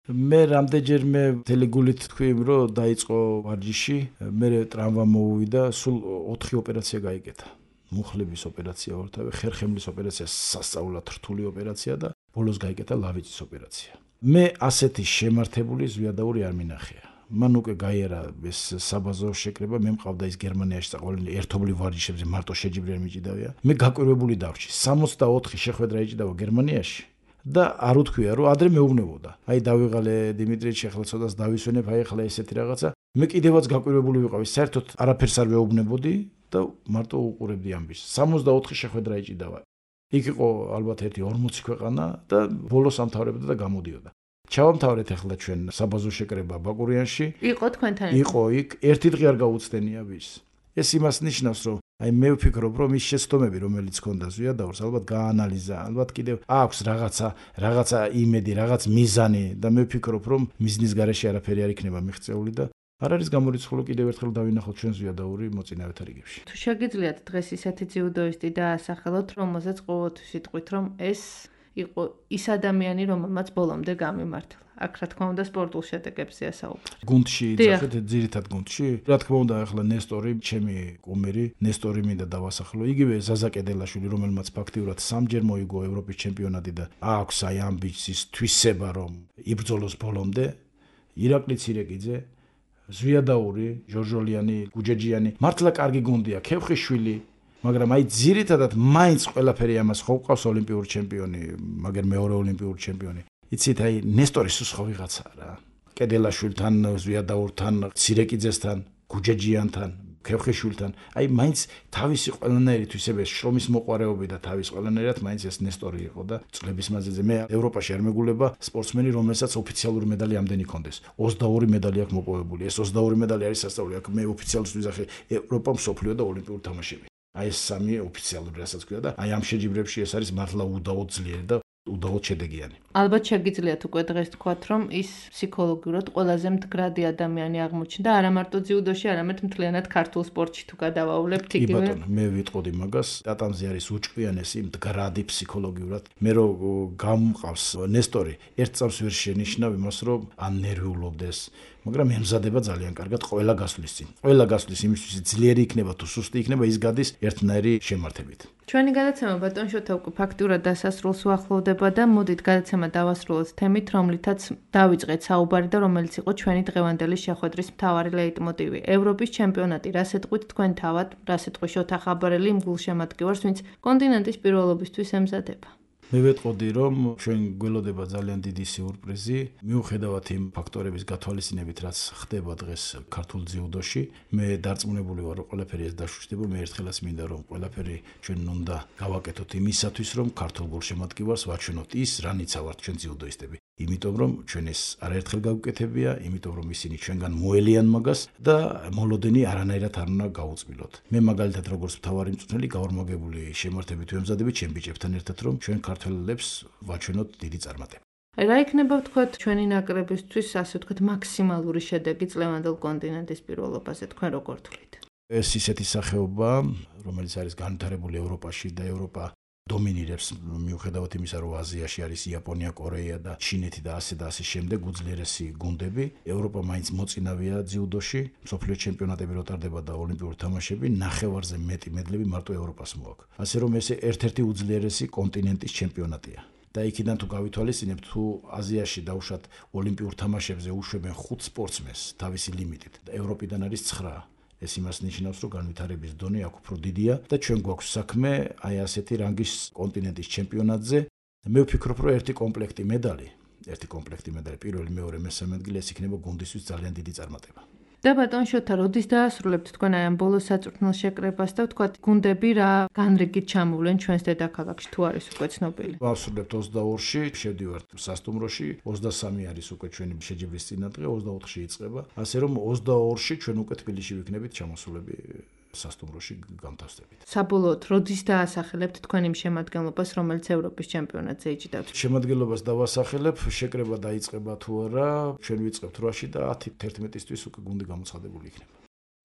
მე რამდენჯერმე თელეგულით თქვი, რომ დაიწყო ვარჯიში, მე ტრამვა მოუვიდა, სულ 4 ოპერაცია გაიგეთა. მუხლების ოპერაცია ორთავე, ხერხემლის ოპერაცია, სასწაულად რთული ოპერაცია და ბოლოს გაიგეთა ლავიწის ოპერაცია. მე ასეთი შემართებული ზვიადაური არ მინახია. მან უკვე გაიარა ეს საბაზო შეკრება, მე მყავდა ის გერმანიაში საყოველთაო ერთობლივ ვარჯიშებზე მარტო შეჯიბრიან მიჭიდავია. მე გაკვირვებული დავრჩი. 64 შეხვედრა ეჭიდავა გერმანიაში და არ უთქვია რომ ადრე მეუბნებოდა. აი დავიღალე დიმიტრიჩი ახლა ცოტას დავისვენებ, აი ახლა ესეთი რაღაცა. მე კიდევაც გაკვირვებული ვიყავი, საერთოდ არაფერს არ ვეუბნებოდი და მარტო უყურებდი ამბის. 64 შეხვედრა ეჭიდავა. იქ იყო ალბათ ერთი 40 ქვეყანა და ბოლოს ამთავრებდა და გამოდიოდა. ჩავამთავრეთ ახლა ჩვენ საბაზო შეკრება ბაკურიანში. იყო თქვენთან? იყო იქ, ერთი დღე არ გაუცდენია ვის. ეს იმას ნიშნავს, რომ აი მე ვფიქრობ, რომ ის შეცდომები, რომელიც ჰქონდა ზვიადაურს, ალბათ გაანალიზა, ალბათ კიდევ აქვს რაღაცა იმედი, რაღაც მიზანი და მე ვფიქრობ, რომ მიზნის გარეშე არაფერი არ იქნება მიღწეული და არ არის გამორიცხული კიდევ ერთხელ დავინახოთ ჩვენ ზვიადაური მოწინავეთა რიგებში. თუ შეგიძლიათ დღეს ისეთი ძიუდოისტი დაასახელოთ, რომელსაც ყოველთვის იტყვით, რომ ეს იყო ის ადამიანი, რომელმაც ბოლომდე გამიმართლა. აქ რა თქმა უნდა სპორტულ შედეგებზეა საუბარი. გუნდში იძახეთ, ძირითად გუნდში. რა თქმა უნდა, ახლა ნესტორი, ჩემი კუმირი, ნესტორი მინდა დავასახელო. იგივე ზაზა კედელაშვილი, რომელმაც ფაქტიურად 3-ჯერ მოიგო ევროპის ჩემპიონატი და აქვს აი ამბიციის თვისება, რომ იბრძოლოს ბოლომდე. ირაკლი ცირეკიძე, ზვიადაური, ჟორჟოლიანი, გუჯეჯიანი, მართლა კარგი გუნდია, ქევხიშვილი, მაგრამ აი ძირითადად მაინც ყველაფერი ამას ხო ყავს ოლიმპიური ჩემპიონი, მაგრამ მეორე ოლიმპიური ჩემპიონი. იცით, აი ნესტორის სხვა ვიღაცაა რა. კედელაშვილთან, ზვიადაურთან, ცირეკიძესთან, გუჯეჯიანთან, ქევხიშვილთან, აი მაინც თავისი ყველანაირით ისევე შრომის მოყვარეობი და თავის ყველანაირად მაინც ეს ნესტორი იყო და წლების მანძილზე მე ევროპაში არ მეგულება სპორტსმენი, რომელსაც ოფიციალური медаლი ამდენი ჰქონდეს. 22 медаლი აქვს მოპოვებული. ეს 22 медаლი არის სასწაული. აქ მე ოფიციალურად ვიზახე ევროპა, მსოფლიო და ოლიმპიური თამაშები. აი ეს სამი ოფიციალური რასაც ქვია და აი ამ შეჯიბრებში ეს არის მართლა უდაოდ ძლიერი და უდაოდ შედეგიანი. ალბათ შეგიძლიათ უკვე დღეს თქვათ, რომ ის ფსიქოლოგიურად ყველაზე მდგრადი ადამიანი აღმოჩნდა არა მარტო ძიუდოში, არამედ მთლიანად ქართულ სპორტში თუ გადავაულებთ კი იგივე. ბატონო, მე ვიტყოდი მაგას, ტატამზე არის უჭკვიანესი მდგრადი ფსიქოლოგიურად. მე რო გამყავს ნესტორი, ერთ წამს ვერ შენიშნავ იმას, რომ ან ნერვიულობდეს, მაგრამ ემზადება ძალიან კარგად ყველა გასვლის წინ. ყველა გასვლის იმისთვის ძლიერი იქნება თუ სუსტი იქნება, ის გადის ერთნაირი შემართებით. ჩვენი გადაცემა ბატონ შოთა უკვე ფაქტურად დასასრულს უახლოვდება და მოდით გადაცემა დავასრულოთ თემით, რომლითაც დავიწყეთ საუბარი და რომელიც იყო ჩვენი დღევანდელი შეხვედრის მთავარი ლეიტმოტივი. ევროპის ჩემპიონატი, რას ეტყვით თქვენ თავად, რას ეტყვი შოთა ხაბარელი იმ გულშემატკივარს, ვინც კონტინენტის პირველობისთვის ემზადება. მე ვეტყოდი, რომ ჩვენ გველოდება ძალიან დიდი სიურპრიზი, მიუხედავად იმ ფაქტორების გათვალისწინებით, რაც ხდება დღეს ქართულ ძიუდოში. მე დარწმუნებული ვარ, რომ ყველაფერი ეს დაშუშტება, მე ერთხელაც მინდა რომ ყველაფერი ჩვენ უნდა გავაკეთოთ იმისათვის, რომ ქართულ გულშემატკივარს ვაჩვენოთ ის, რანიცა ვართ ჩვენ ძიუდოისტები. იმიტომ რომ ჩვენ ეს არაერთხელ გავუკეთებია, იმიტომ რომ ისინი ჩვენგან მოელიან მაგას და მოლოდენი არანაირად არ უნდა გაუწმილოთ. მე მაგალითად როგორც მთავარი მწვრთნელი გავორმაგებული შემართებით ვემზადები ჩემ ბიჭებთან ერთად, რომ ჩვენ ქართველებს ვაჩვენოთ დიდი წარმატება. რა იქნება ვთქვათ ჩვენი ნაკრებისთვის, ასე ვთქვათ, მაქსიმალური შედეგი წლევანდელ კონტინენტის პირველობაზე, თქვენ როგორ თვლით? ეს ისეთი სახეობა, რომელიც არის განვითარებული ევროპაში და ევროპა დომინირებს მიუხედავად იმისა, რომ აზიაში არის იაპონია, კორეა და ჩინეთი და ასე შემდეგ უძლიერესი გუნდები. ევროპა მაინც მოწინავეა ძიუდოში, მსოფლიო ჩემპიონატები რო ტარდება და ოლიმპიური თამაშები, ნახევარზე მეტი მედლები მარტო ევროპას მოაქვს. ასე რომ ეს ერთ-ერთი უძლიერესი კონტინენტის ჩემპიონატია. და იქიდან თუ გავითვალისწინებთ, თუ აზიაში დავუშვათ ოლიმპიურ თამაშებზე უშვებენ 5 სპორტსმენს თავისი ლიმიტით და ევროპიდან არის 9. ეს იმას ნიშნავს, რომ განვითარების დონე აქ უფრო დიდია და ჩვენ გვაქვს საქმე აი ასეთი რანგის კონტინენტის ჩემპიონატზე. მე ვფიქრობ, რომ ერთი კომპლექტი медаლი, პირველი, მეორე, მესამე ადგილი ეს იქნება გუნდისთვის ძალიან დიდი წარმატება. და ბატონ შოთა, როდის დაასრულებთ თქვენ აი ამ ბოლოს საწვრთნელ შეკრებას და ვთქვათ, გუნდები რა განრიგით ჩამოვლენ ჩვენს დედაქალაქში, თუ არის უკვე ცნობილი? ვასრულებთ 22-ში, შევდივართ სასტუმროში, 23 არის უკვე ჩვენი შეჯიბრის წინადღე, 24-ში იწყება. ასე რომ 22-ში ჩვენ უკვე თბილისში ვიქნებით ჩამოსულები სასტუმროში გამთავსდებით. საბოლოოდ, როდის დაასახელებთ თქვენ იმ შემადგენლობას, რომელიც ევროპის ჩემპიონატზე იჭდავთ? შემადგენლობას დავასახელებ, შეკრება დაიწყება თუ არა, ჩვენ ვიწყებთ 8-ში და 10-11-ისთვის უკვე გუნდი გამოცხადებული იქნება.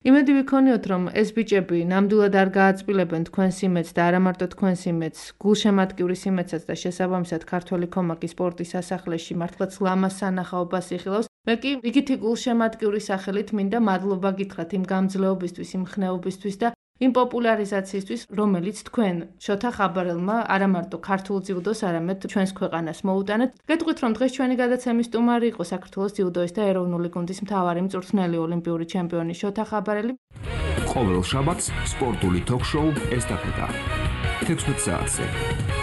იმედი ვიქონიოთ, რომ ეს ბიჭები ნამდვილად არ გააწმილებენ თქვენს იმედს და არა მარტო თქვენს იმედს, გულშემატკივრის იმედსაც და შესაბამისად ქართველი ქომაკი სპორტის სასახლეში მართლაც ლამაზ სანახაობას იხილავს. მე კი იგითი გულშემატკივრის სახელით მინდა მადლობა გითხრათ იმ გამძლეობისთვის, იმ ხნეობისთვის და იმ პოპულარიზაციისთვის, რომელიც თქვენ შოთა ხაბარელმა არა მარტო ქართულ ძიუდოს, არამედ ჩვენს ქვეყანას მოუტანეთ. გეტყვით, რომ დღეს ჩვენი გადაცემის სტუმარი იყო საქართველოს ძიუდოის და ეროვნული გუნდის მთავარი მწვრთნელი, ოლიმპიური ჩემპიონი შოთა ხაბარელი. ყოველ შაბათს სპორტული თოქ-შოუ ესტაფეტა 16 საათზე.